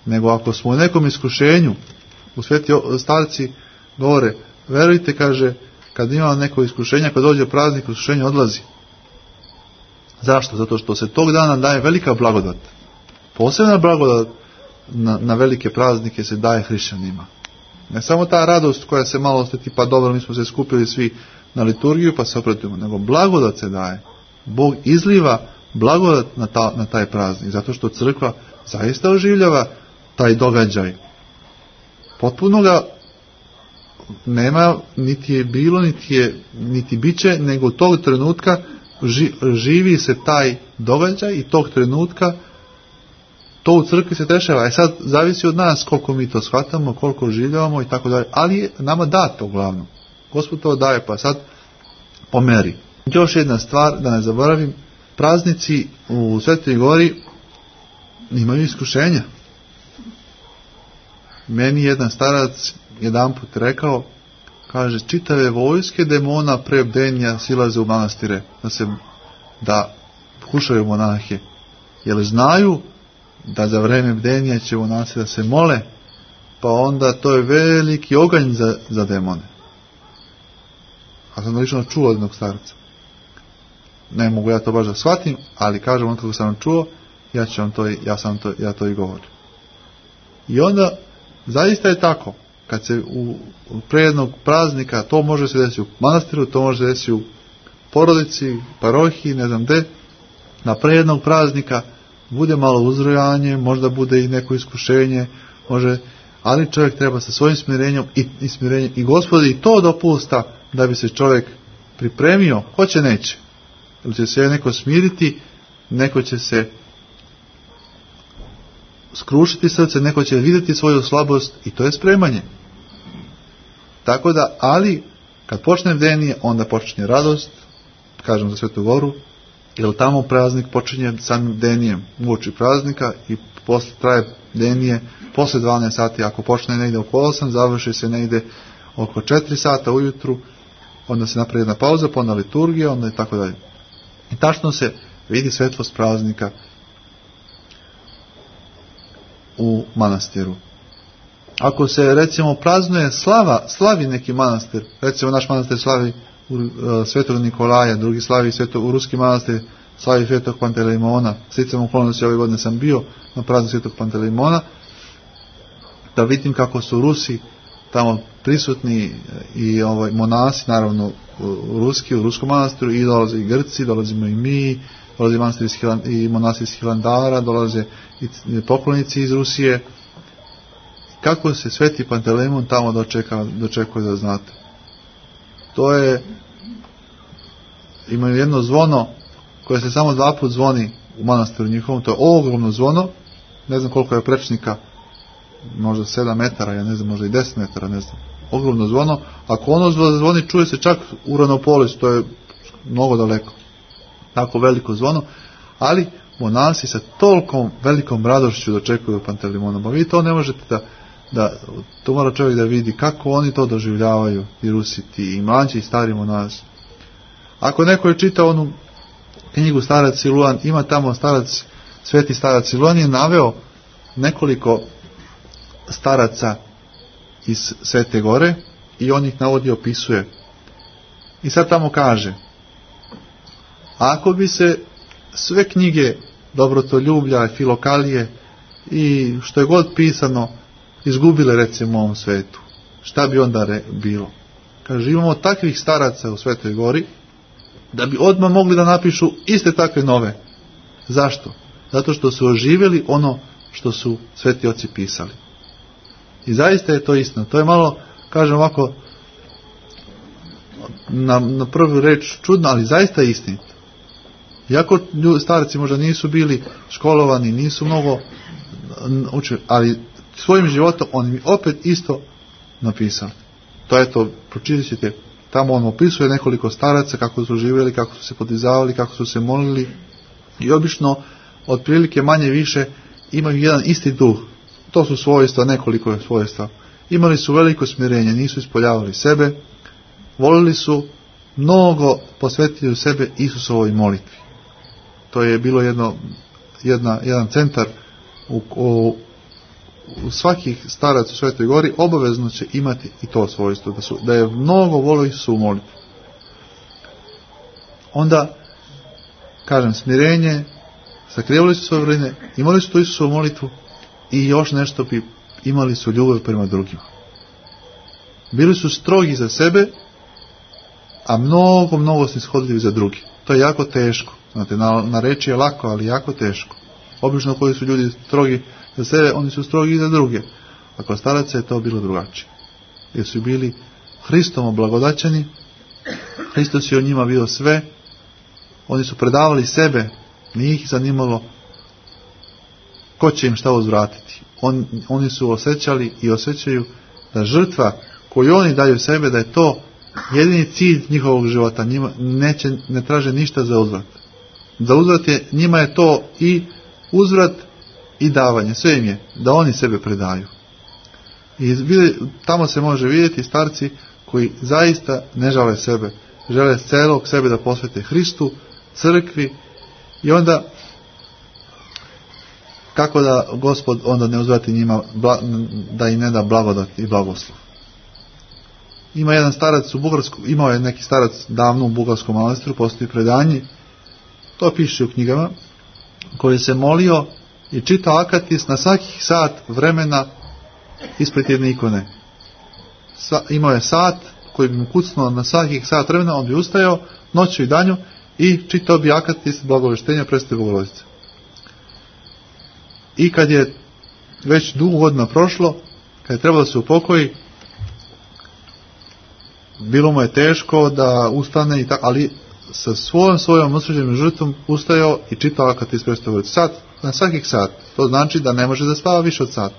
nego ako smo u nekom iskušenju, u sveti starci govore, verujte, kaže, kad ima neko iskušenje, kad dođe praznik, iskušenje odlazi. Zašto? Zato što se tog dana daje velika blagodat. Posebna blagodat na velike praznike se daje hrišćanima. Ne samo ta radost koja se malo ostati, pa dobro, mi smo se skupili svi na liturgiju pa se opretujemo, nego blagodat se daje. Bog izliva blagodat na taj praznik, zato što crkva zaista oživljava taj događaj. Potpuno ga nema, niti je bilo, niti bit će, nego tog trenutka živi se taj događaj i tog trenutka to u crkvi se dešava. Sad zavisi od nas koliko mi to shvatamo, koliko oživljavamo i tako dalje, ali je nama dato uglavnom. Gospod to daje, pa sad pomeri. Još jedna stvar, da ne zaboravim, praznici u Svetoj Gori imaju iskušenja. Meni jedan starac jedanput rekao, kaže, čitave vojske demona pre bdenja silaze u manastire da kušaju monahe, jer znaju da za vreme bdenja će monasi da se mole, pa onda to je veliki oganj za demone. A sam lično čuo od jednog starca. Ne mogu ja to baš da shvatim, ali kažem on kako sam čuo, ja to i govorim. I onda zaista je tako, kad se pre jednog praznika, to može se desiti u manastiru, to može se desiti u porodici, parohiji, ne znam gde, na pre jednog praznika bude malo uzrojanje, možda bude i neko iskušenje, ali čovjek treba sa svojim smirenjem i Gospod i to dopusta da bi se čovjek pripremio, hoće neće. Ili će se neko smiriti, neko će se skrušiti srce, neko će vidjeti svoju slabost i to je spremanje. Tako da, ali kad počne bdenije, onda počinje radost, kažem za Svetu Goru, jer tamo praznik počinje samim bdenijem uoči praznika i posle traje bdenije posle 12 sati, ako počne negde oko 8, završi se negde oko 4 sata ujutru, onda se napravi jedna pauza, pa onda liturgija, onda i tako dalje. I tačno se vidi svetlost praznika u manastiru. Ako se recimo praznuje slavi neki manastir, recimo naš manastir slavi Svetog Nikolaja, drugi slavi u ruski manastir slavi Svetog Pantelejmona. Sticam okolnosti, ove godine sam bio na prazniku Svetog Pantelejmona, da vidim kako su Rusi tamo prisutni i monasi, naravno u ruskom manastiru, i dolaze i Grci, dolazimo i mi, dolaze i monasi iz Hilandara, dolaze i poklonici iz Rusije. Kako se Sveti Pantelejmon tamo dočekuje, da znate. To je, imaju jedno zvono koje se samo 2 puta zvoni u manastiru njihovom, to je ogromno zvono, ne znam koliko je prečnika, možda 7 metara, ja ne znam, možda i 10 metara, ne znam, ogromno zvono. Ako ono zvoni, čuje se čak u Ranopolis, to je mnogo daleko, tako veliko zvono, ali monasi sa tolkom velikom radošću dočekuju Pantelejmona. Pa vi to ne možete to mora čovjek da vidi kako oni to doživljavaju, i Rusi, i mlađi i stari monasi. Ako neko je čitao onu knjigu Starac Siluan, ima tamo Sveti Starac Siluan je naveo nekoliko staraca iz Svete Gore i on ih navodi, opisuje. I sad tamo kaže, ako bi se sve knjige Dobrotoljublja, Filokalije i što je god pisano izgubile recimo u ovom svetu, šta bi onda bilo? Kaže, imamo takvih staraca u Svetoj Gori da bi odmah mogli da napišu iste takve nove. Zašto? Zato što su oživjeli ono što su sveti oci pisali. I zaista je to istina. To je malo kažem ovako, na prvu reč čudno, ali zaista istinito. Iako starci možda nisu bili školovani, nisu mnogo učili, ali svojim životom on mi opet isto napisao. To je to, pročitat ćete, tamo on opisuje nekoliko staraca, kako su živjeli, kako su se podizavali, kako su se molili, i obično, otprilike manje više, imaju jedan isti duh. To su svojstva, nekoliko svojstva. Imali su veliko smirenje, nisu ispoljavali sebe, volili su, mnogo posvetili sebe Isusovoj molitvi. To je bilo jedan centar u svakih staraca u Svetoj Gori, obavezno će imati i to svojstvo, da je mnogo volio Isusovu molitvu. Onda, kažem, smirenje, sakrivali su svoje vrline, imali su to Isusovu molitvu i još nešto, imali su ljubav prema drugima. Bili su strogi za sebe, a mnogo snishodljivi za drugi. To je jako teško. Znate, na reči je lako, ali jako teško. Obično koji su ljudi strogi za sebe, oni su strogi i za druge. A kod staraca je to bilo drugačije. Jer su bili Hristom oblagodaćeni, Hristos je o njima bio sve, oni su predavali sebe, nije ih zanimalo ko će im šta uzvratiti. Oni su osjećali i osjećaju da žrtva koju oni daju sebe, da je to jedini cilj njihovog života. Njima ne traže ništa za uzvrat. Za uzvrat njima je to i uzvrat i davanje. Sve im je da oni sebe predaju. I tamo se može vidjeti starci koji zaista ne žele sebe. Žele celog sebe da posvete Hristu, crkvi, i onda kako da Gospod onda ne uzvrati njima, da im ne da blagodat i blagoslov. Ima jedan starac u Bugarsku, imao je neki starac davno u Bugarskom manastiru, postoji predanje, to piše u knjigama, koji se molio i čitao akatis na svakih sat vremena ispred jedne ikone. Imao je sat koji bi mu kucnuo na svakih sat vremena, on bi ustajao noću i danju i čitao bi akatis blagoveštenja Presvete Bogorodice. I kad je već dugo godina prošlo, kad je trebalo da se upokoji, bilo mu je teško da ustane, ali sa svojom osuđenom žrtvom ustajao i čitao akatis Presvete Bogorodice. Na svakih sat. To znači da ne može da spava više od sata.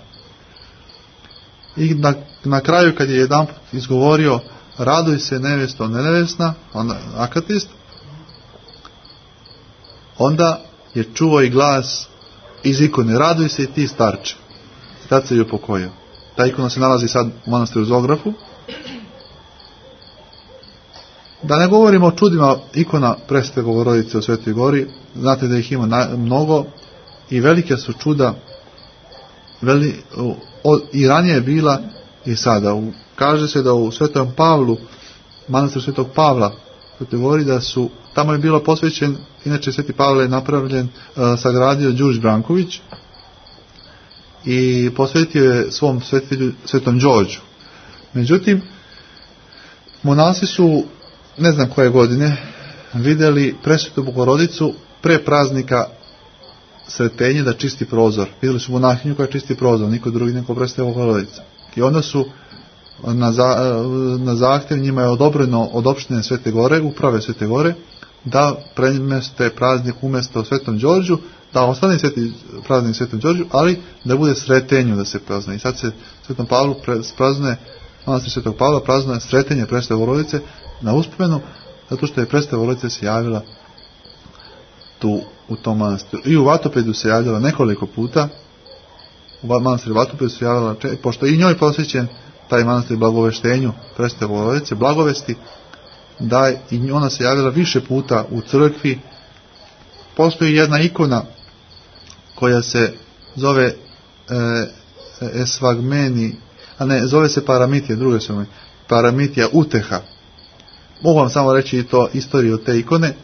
I na kraju, kad je jedanput izgovorio raduj se nevesto nevesna, akatist, onda je čuo i glas iz ikone, raduj se i ti starče. Tad se je upokojio. Ta ikona se nalazi sad u manastiru Zografu. Da ne govorimo o čudima ikona Presvete Bogorodice u Svetoj Gori, znate da ih ima mnogo i velike su čuda, i ranije je bila i sada. Kaže se da u Svetom Pavlu, manastir Svetog Pavla, Svetoj Gori, da su, tamo je bilo posvećen, inače Sveti Pavle je napravljen, sagradio Đurđ Branković i posvetio je svom svetitelju Svetom Đorđu. Međutim, monasi su, ne znam koje godine, vidjeli Presvetu Bogorodicu pre praznika Sretenje da čisti prozor. Vidjeli su monahinju koja čisti prozor, niko drugi nego Presveta Bogorodica. I onda su na zahtjev, njima je odobreno od opštine Svete Gore, uprave Svete Gore, da premeste praznik umjesto Svetom Đorđu, da ostane praznik Svetom Đorđu, ali da bude Sretenju da se praznuje. I sad se Svetom Pavlu praznuje, manastir Svetog Pavla praznuje Sretenje Presvete Bogorodice na uspomenu, zato što je Presveta Bogorodica se javila tu u tom manastiru. I u Vatopedu se javljala nekoliko puta, u manastiru Vatopedu se javljala, pošto i njoj posvećen taj manastir blagoveštenju Presvete Bogorodice, blagovesti, da i ona se javila više puta u crkvi. Postoji jedna ikona koja se zove Esvagmeni, a ne, zove se Paramitija, druge su mi, Paramitija Uteha. Mogu vam samo reći i to istoriju te ikone.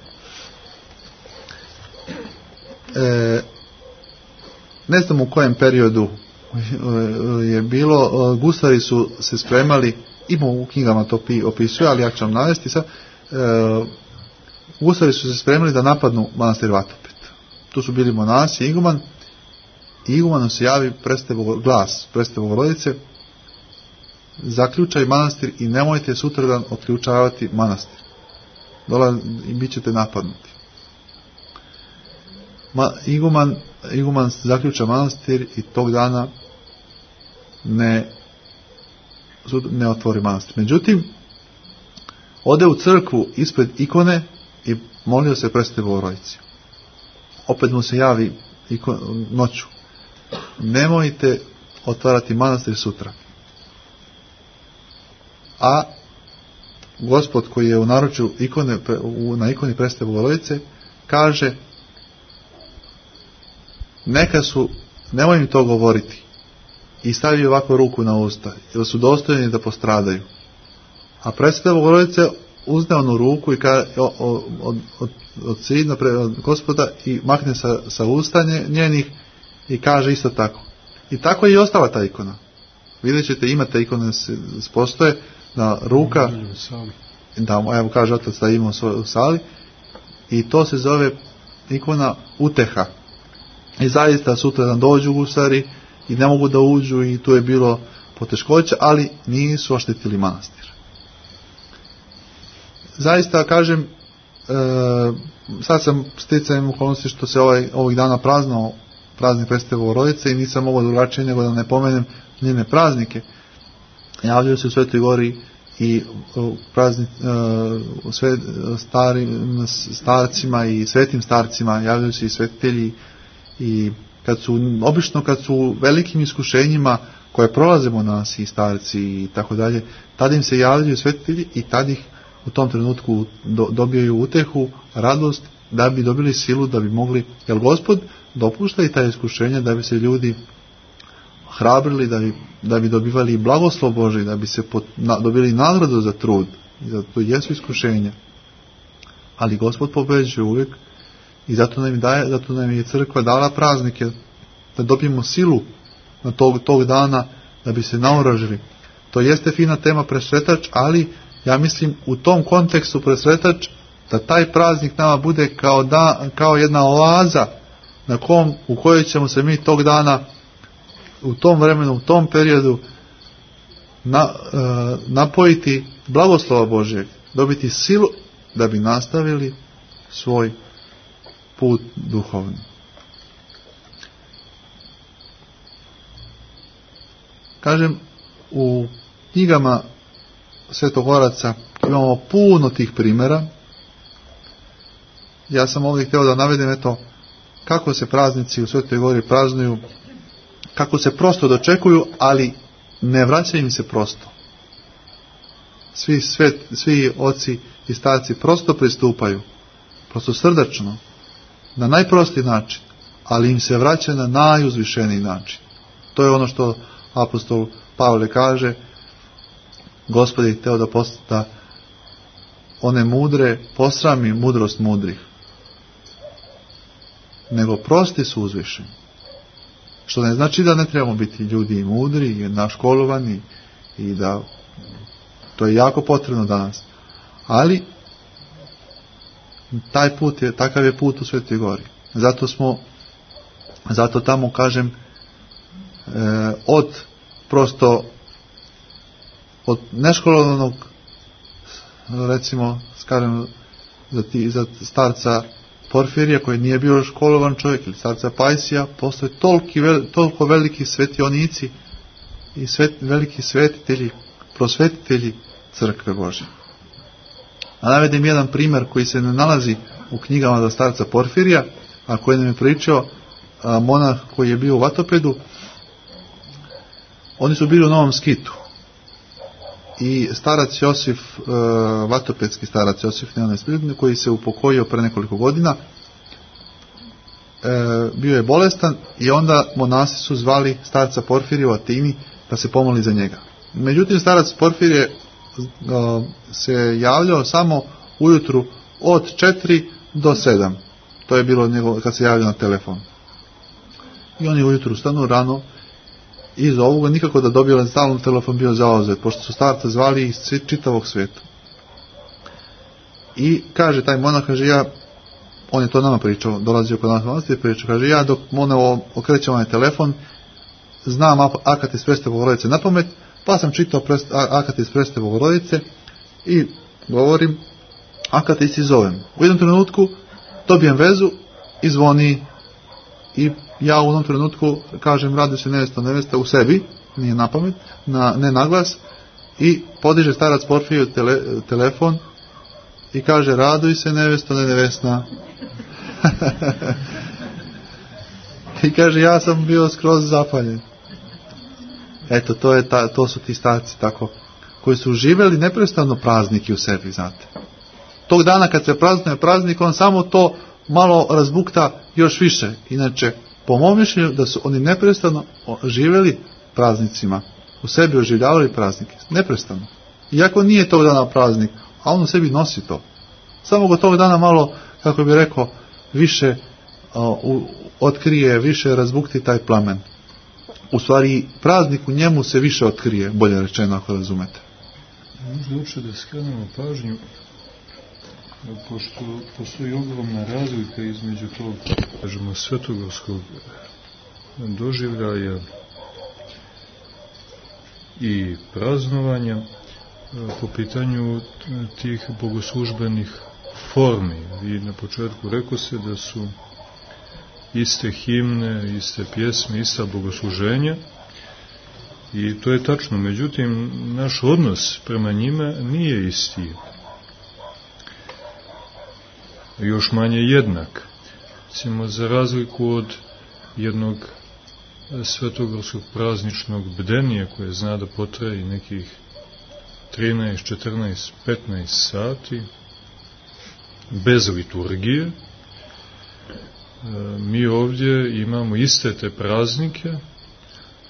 Ne znam u kojem periodu je bilo, gusari su se spremali, ima u knjigama to opisuje, ali ja ću vam navesti sad, gusari su se spremali da napadnu manastir Vatopet. Tu su bili monasi i iguman, i igumanu se javi glas Presvete Bogorodice zaključaj manastir i nemojte sutradan otključavati manastir. I bit ćete napadnuti. Iguman zaključa manastir i tog dana ne otvori manastir. Međutim, ode u crkvu ispred ikone i molio se Presvetoj Bogorodici. Opet mu se javi noću. Nemojte otvarati manastir sutra. A Gospod koji je u naručju na ikoni Presvete Bogorodice kaže: nemoj mi to govoriti. I stavi ovako ruku na usta, jer su dostojni da postradaju. A Presveta Bogorodica uzne onu ruku i od sidna od Gospoda i makne sa usta njenih i kaže isto tako. I tako je i ostala ta ikona. Vidjet ćete, imate ikone postoje na ruka, da, evo kaže otac da ima u sali, i to se zove ikona uteha. I zaista sutradan dođu gusari i ne mogu da uđu i tu je bilo poteškoća, ali nisu oštetili manastir. Zaista kažem, sad sam sticajem okolnosti što se ovih dana praznao praznik Presvete Bogorodice i nisam mogao drugačije nego da ne pomenem njene praznike. Javljaju se u Svetoj Gori i starim starcima i svetim starcima, javljaju se i svetitelji, i obično kad su u velikim iskušenjima koje prolazimo nas i starci i tako dalje, tada im se javljaju svetitelji i tad ih u tom trenutku dobijaju utehu, radost, da bi dobili silu, da bi mogli, jer Gospod dopušta i ta iskušenja da bi se ljudi hrabrili, da bi dobivali blagoslov Božji, da bi se dobili nagradu za trud. Zato jesu iskušenja. Ali Gospod pobeđuje uvijek i zato nam je crkva dala praznike, da dobijemo silu na tog dana, da bi se naoružili. To jeste fina tema presretač, ali ja mislim u tom kontekstu presretač, da taj praznik nama bude kao jedna oaza u kojoj ćemo se mi tog dana, u tom vremenu, u tom periodu napojiti blagoslova Božjeg, dobiti silu da bi nastavili svoj put duhovni. Kažem, u knjigama svetogoraca imamo puno tih primjera. Ja sam ovdje htio da navedem kako se praznici u Svetoj Gori praznuju, kako se prosto dočekuju, ali ne vraćaju im se prosto. Svi oci i starci prosto pristupaju, prosto srdačno, na najprostiji način, ali im se vraća na najuzvišeniji način. To je ono što apostol Pavle kaže: Gospod je hteo da one mudre posrami mudrost mudrih, nego prosti su uzvišeni. Što ne znači da ne trebamo biti ljudi i mudri i naškolovani, i da to je jako potrebno danas. Ali takav je put u Svetoj Gori. Zato tamo kažem, od neškolovanog, recimo za starca Porfirija, koji nije bio školovan čovjek, ili starca Pajsija, postoje toliko veliki svetionici i veliki svetitelji, prosvetitelji crkve Božje. A navedem jedan primjer koji se ne nalazi u knjigama za starca Porfirija, a koji nam je pričao monah koji je bio u Vatopedu. Oni su bili u Novom Skitu i starac Josif, vatopedski starac Josif, koji se upokojio pre nekoliko godina, bio je bolestan i onda monasi su zvali starca Porfirija u Atini da se pomoli za njega. Međutim, starac Porfirije se javljao samo ujutru od 4 do 7. To je bilo kad se javljao na telefon. I oni ujutru stanu rano i za ovoga nikako da dobije stalno telefon, bio zauzet, pošto su starca zvali iz čitavog sveta. I kaže taj monah, on je to nama pričao, dolazio kod nas i pričao, kaže, ja dok okrećem ovaj telefon, znam akat iz Presvete Bogorodice na pamet, Pa sam čitao Akatis Presvete Bogorodice i govorim, Akatis i zovem. U jednom trenutku dobijem vezu i zvoni i ja u jednom trenutku kažem radi se nevesta u sebi, nije na pamet, ne na glas, i podiže starac Porfirije telefon i kaže raduj se nevesto, ne nevesna. I kaže ja sam bio skroz zapaljen. Eto, to su ti starci tako, koji su živjeli neprestano praznike u sebi, znate. Tog dana kad se praznuje praznik, on samo to malo razbukta još više. Inače, po mom mišljenju da su oni neprestano živjeli praznicima, u sebi oživljavali praznike, neprestano. Iako nije tog dana praznik, a on u sebi nosi to. Samo go tog dana malo, kako bi rekao, više otkrije, više razbukti taj plamen. U stvari, praznik u njemu se više otkrije, bolje rečeno, ako razumete. Možda uopšte da skrenemo pažnju, pošto postoji ogromna razlika između tog, kažemo, svetogorskog doživljaja i praznovanja po pitanju tih bogoslužbenih formi. I na početku rekao se da su iste himne, iste pjesme, ista bogosluženja, i to je tačno. Međutim, naš odnos prema njima nije isti. Još manje jednak. Recimo, za razliku od jednog svetogorskog prazničnog bdenija koje zna da potraje i nekih 13, 14, 15 sati bez liturgije, mi ovdje imamo iste te praznike,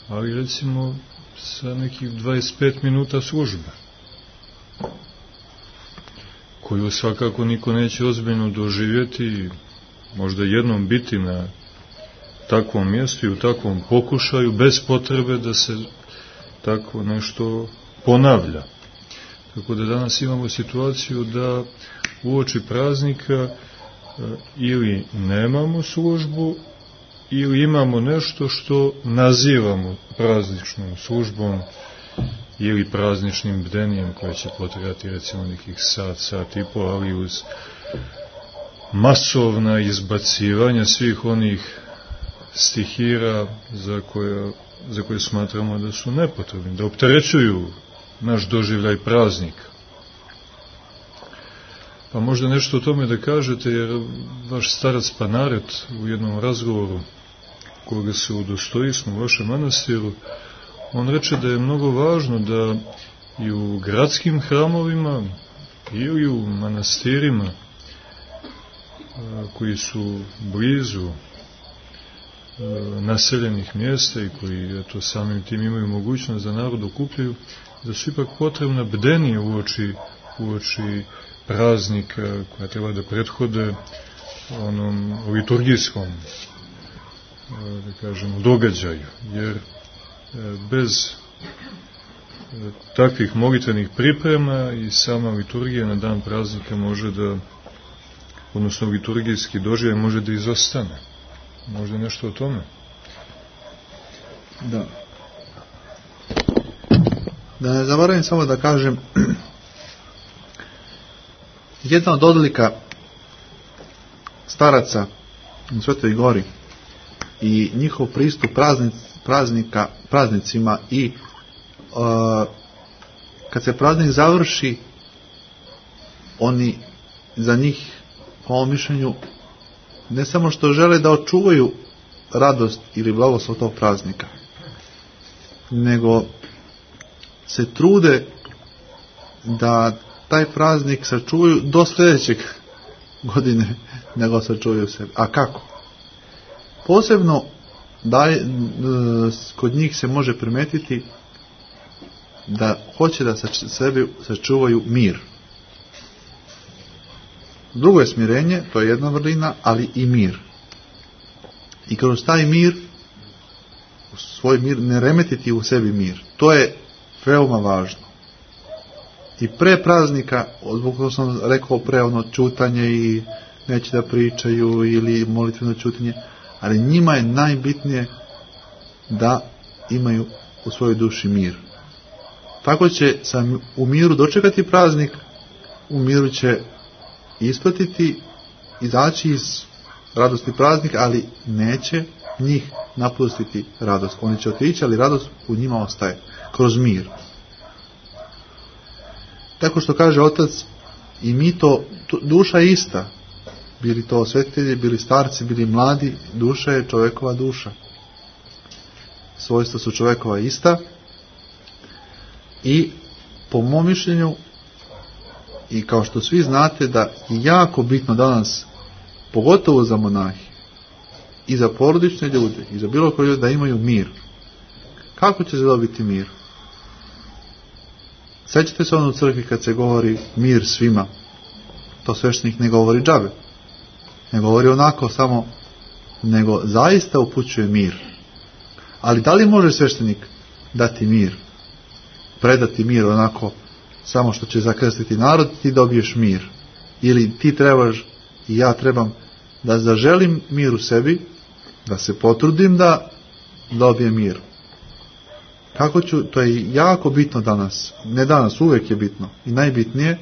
ali recimo sa nekih 25 minuta službe, koju svakako niko neće ozbiljno doživjeti, možda jednom biti na takvom mjestu i u takvom pokušaju, bez potrebe da se tako nešto ponavlja. Tako da danas imamo situaciju da uoči praznika ili nemamo službu, ili imamo nešto što nazivamo prazničnom službom ili prazničnim bdenijem koje će potrajati recimo nekih sat i pol, ali uz masovna izbacivanja svih onih stihira za koje smatramo da su nepotrebni, da opterećuju naš doživljaj praznika. Pa možda nešto o tome da kažete, jer vaš starac Panaret u jednom razgovoru koga se udostojismo u vašem manastiru, on reče da je mnogo važno da i u gradskim hramovima ili u manastirima koji su blizu naseljenih mjesta i koji samim tim imaju mogućnost da narod okupljaju, da su ipak potrebna bdenije uoči praznika koja treba da prethode onom liturgijskom, da kažem, događaju, jer bez takvih molitvenih priprema i sama liturgija na dan praznika može da, odnosno liturgijski doživljaj može da izostane. Možda nešto o tome? Da. Da ne zaboravim samo da kažem, jedna od odlika staraca u Svetoj Gori i njihov pristup praznicima i kad se praznik završi, oni za njih, po ovom mišljenju, ne samo što žele da očuvaju radost ili blagoslov tog praznika, nego se trude da taj praznik sačuvaju do sljedećeg godine, nego sačuvaju sebe. A kako? Posebno kod njih se može primetiti da hoće da sebi sačuvaju mir. Drugo je smirenje, to je jedna vrlina, ali i mir. I kroz taj mir, svoj mir, ne remetiti u sebi mir. To je veoma važno. I pre praznika, zbog toga sam rekao pre ono čutanje i neće da pričaju ili molitveno čutanje, ali njima je najbitnije da imaju u svojoj duši mir. tako će sam u miru dočekati praznik, u miru će ispratiti, izaći iz radosti praznik, ali neće njih napustiti radost. Oni će otići, ali radost u njima ostaje, kroz mir. Tako što kaže Otac, i mi to, duša je ista. Bili to svetitelji, bili starci, bili mladi, duša je čovjekova duša. Svojstva su čovjekova ista. I po mom mišljenju, i kao što svi znate, da je jako bitno danas, pogotovo za monahi, i za porodične ljude, i za bilo koje ljude, da imaju mir. Kako će se dobiti mir? Sjećate se ono u crkvi kad se govori mir svima? To sveštenik ne govori džabe. Ne govori onako samo, nego zaista upućuje mir. Ali da li može sveštenik dati mir? Predati mir onako, samo što će zakrstiti narod, ti dobiješ mir. Ili ti trebaš i ja trebam da zaželim mir u sebi, da se potrudim da dobijem mir. Kako ću, to je jako bitno danas, ne danas, uvijek je bitno i najbitnije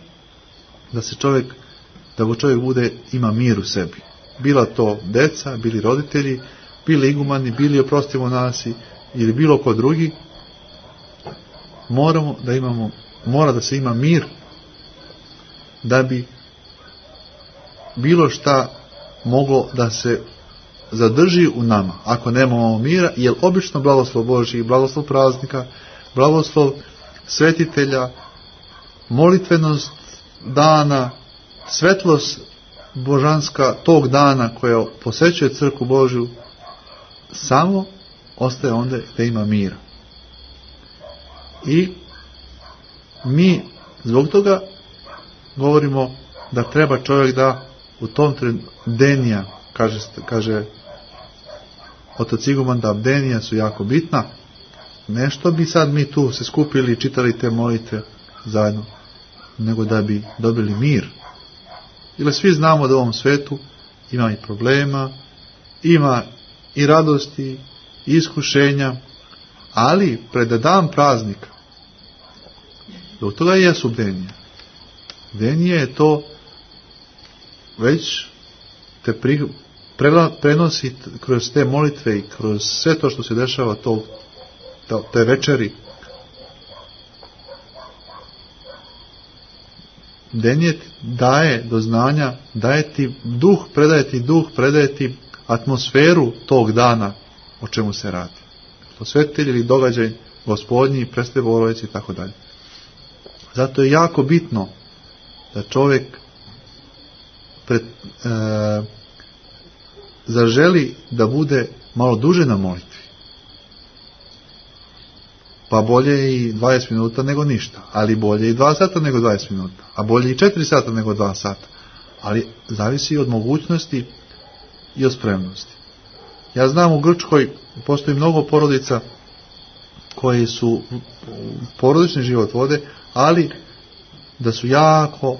da čovjek bude, ima mir u sebi. Bila to deca, bili roditelji, bili igumani, bili oprostimo nasi ili bilo ko drugi, mora da se ima mir da bi bilo šta moglo da se zadrži u nama. Ako nemamo mira, jer obično blagoslov Božji, blagoslov praznika, blagoslov svetitelja, molitvenost dana, svetlost božanska tog dana koja posećuje crkvu Božju, samo ostaje onda da ima mira. I mi zbog toga govorimo da treba čovjek da u tom denija, kaže Otac Iguman, da bdenija su jako bitna. Nešto bi sad mi tu se skupili i čitali te molitve zajedno, nego da bi dobili mir. Ili svi znamo da u ovom svetu ima i problema, ima i radosti, i iskušenja, ali pred dan praznika, do toga i jesu bdenije. Bdenije je to već te prenosi kroz te molitve i kroz sve to što se dešava te večeri. Bdenije daje do znanja, daje ti duh, predaje ti atmosferu tog dana o čemu se radi. To svetitelj ili događaj Gospodnji, Presvete Bogorodice i tako dalje. Zato je jako bitno da čovjek zaželi da bude malo duže na molitvi. Pa bolje i 20 minuta nego ništa, ali bolje i 2 sata nego 20 minuta, a bolje i 4 sata nego 2 sata. Ali zavisi od mogućnosti i od spremnosti. Ja znam u Grčkoj postoji mnogo porodica koji su porodični život vode, ali da su jako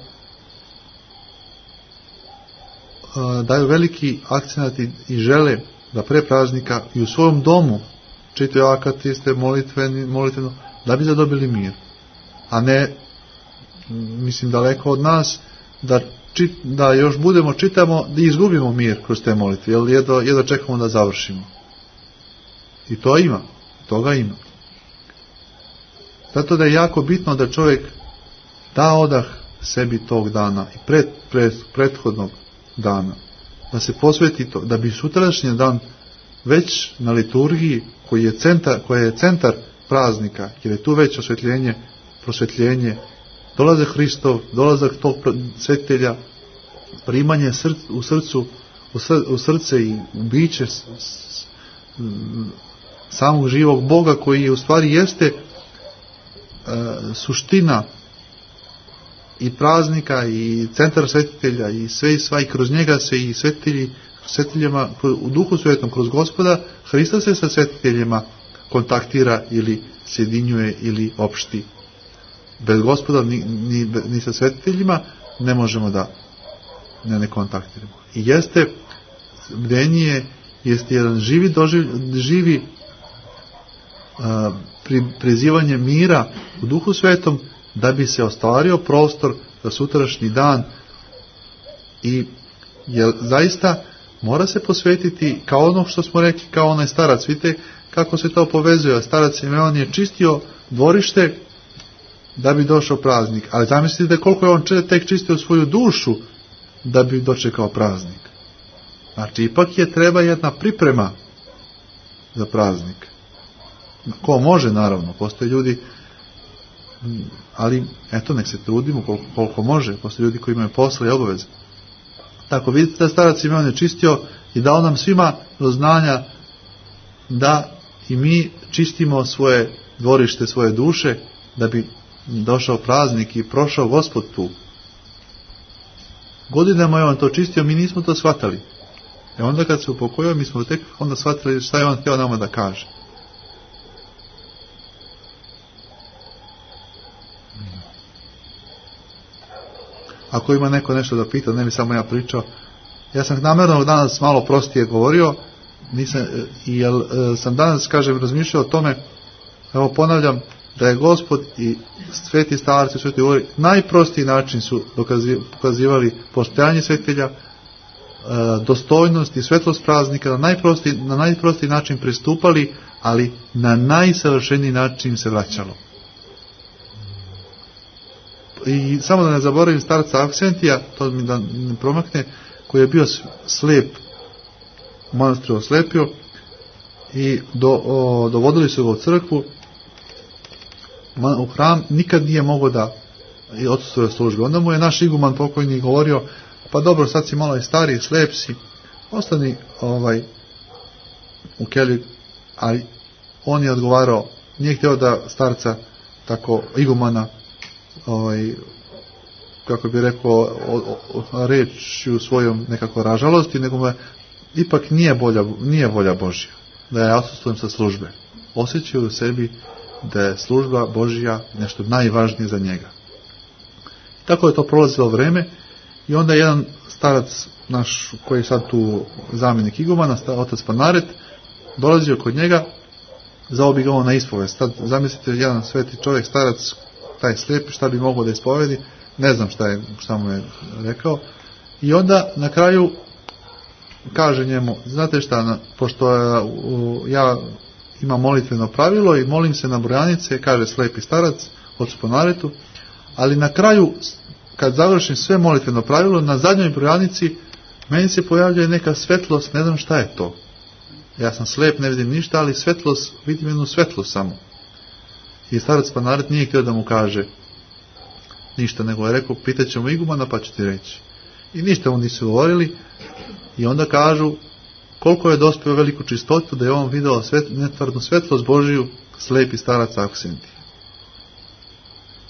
daju veliki akcenat i žele da pre praznika i u svojom domu čitaju akatiste, molitveno, da bi zadobili mir. A ne, mislim, daleko od nas, da još čitamo, da izgubimo mir kroz te molitve, jer jedva čekamo da završimo. I toga ima. Zato da je jako bitno da čovjek da odah sebi tog dana i prethodnog dana, da se posveti to, da bi sutrašnji dan već na liturgiji koji je centar praznika, jer je tu već prosvjetljenje, dolazak Hristov, dolazak tog svetitelja, primanje u srce i biće samog živog Boga koji u stvari jeste suština i praznika i centar svetitelja i sve i sva, i kroz njega se i svetiteljima u Duhu Svetom, kroz Gospoda Hrista se sa svetiteljima kontaktira ili sjedinjuje ili opšti. Bez Gospoda ni sa svetiteljima ne možemo da ne kontaktiramo. I bdenije jeste jedan živi prizivanje mira u Duhu Svetom, da bi se ostvario prostor za sutrašnji dan. I jer zaista mora se posvetiti, kao ono što smo rekli, kao onaj starac. Vidite kako se to povezuje. Starac Simeon je čistio dvorište da bi došao praznik. Ali zamislite koliko je on tek čistio svoju dušu da bi dočekao praznik. Znači, ipak je treba jedna priprema za praznik. Ko može, naravno. Postoje ljudi, ali eto, nek se trudimo koliko može. Postoje ljudi koji imaju posla i obaveze. Tako, vidite da starac Simeon je čistio i dao nam svima do znanja da i mi čistimo svoje dvorište, svoje duše, da bi došao praznik i prošao Gospod tu. Godinama je on to čistio, mi nismo to shvatali. I onda kad se upokojio, mi smo tek onda shvatili šta je on htio nama da kaže. Ako ima neko nešto da pita, ne bi samo ja pričao. Ja sam namjerno danas malo prostije govorio, jer sam danas, razmišljao o tome, evo ponavljam, da je Gospod i sveti starci, sveti govori, najprostiji način su pokazivali postojanje svetitelja, dostojnost i svetlost praznika, na najprostiji način pristupali, ali na najsavršeniji način se vraćalo. I samo da ne zaboravim starca Aksentija, to mi da ne promakne, koji je bio slijep, u manastiru oslepio, i dovodili su ga u crkvu, u hram, nikad nije mogao da odsustuje službe. Onda mu je naš iguman pokojni govorio, pa dobro, sad si malo i stariji, slijep si, ostani u kelji, ali on je odgovarao, nije htio da starca tako igumana, kako bi rekao, reći u svojom nekako ražalosti, nego mu ipak nije volja Božja da ja odsustujem sa službe. Osjećaju u sebi da je služba Božja nešto najvažnije za njega. Tako je to prolazilo vreme i onda jedan starac naš, koji je sad tu zamjenik igumana, otac Panaret, dolazio kod njega, zvao bi ga on na ispovest. Sad zamislite, jedan sveti čovjek, starac, taj slijepi, šta bi mogao da ispovedi, ne znam šta mu je rekao. I onda na kraju kaže njemu, znate šta, pošto ja imam molitveno pravilo i molim se na brojanice, kaže slijepi starac, ocu Panaretu, ali na kraju, kad završim sve molitveno pravilo, na zadnjoj brojanici meni se pojavljuje neka svetlost, ne znam šta je to. Ja sam slijep, ne vidim ništa, ali svetlost, vidim jednu svetlost samo. I starac Panaret nije htio da mu kaže ništa, nego je rekao, pitat ćemo igumana pa ću ti reći. I ništa mu nisu govorili i onda kažu koliko je dospio veliku čistotu da je on video netvarnu svetlost Božiju, slijepi starac Aksentij,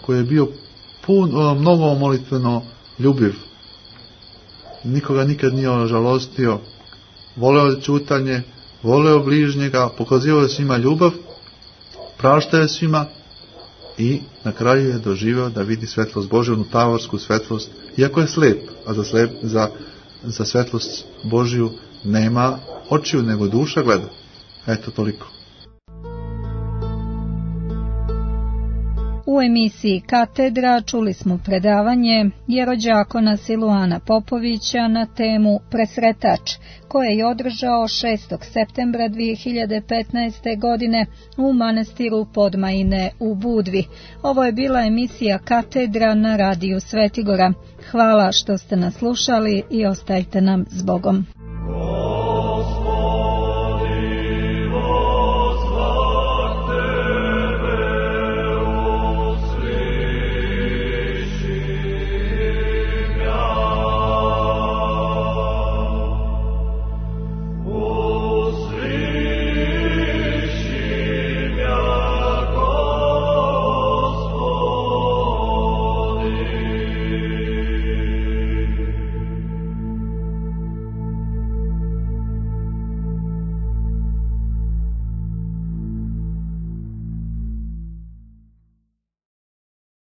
koji je bio mnogo molitveno ljubiv. Nikoga nikad nije žalostio, voleo čutanje, voleo bližnjega, pokazivao svima ljubav, praštao svima i na kraju je doživio da vidi svetlost Božju, onu tavorsku svetlost, iako je slijep, a za svetlost Božju nema očiju, nego duša gleda. Eto, toliko. U emisiji Katedra čuli smo predavanje jerođakona Siluana Popovića na temu Presretač, koje je održao 6. septembra 2015. godine u manastiru Podmajine u Budvi. Ovo je bila emisija Katedra na radiju Svetigora. Hvala što ste nas slušali i ostajte nam s Bogom.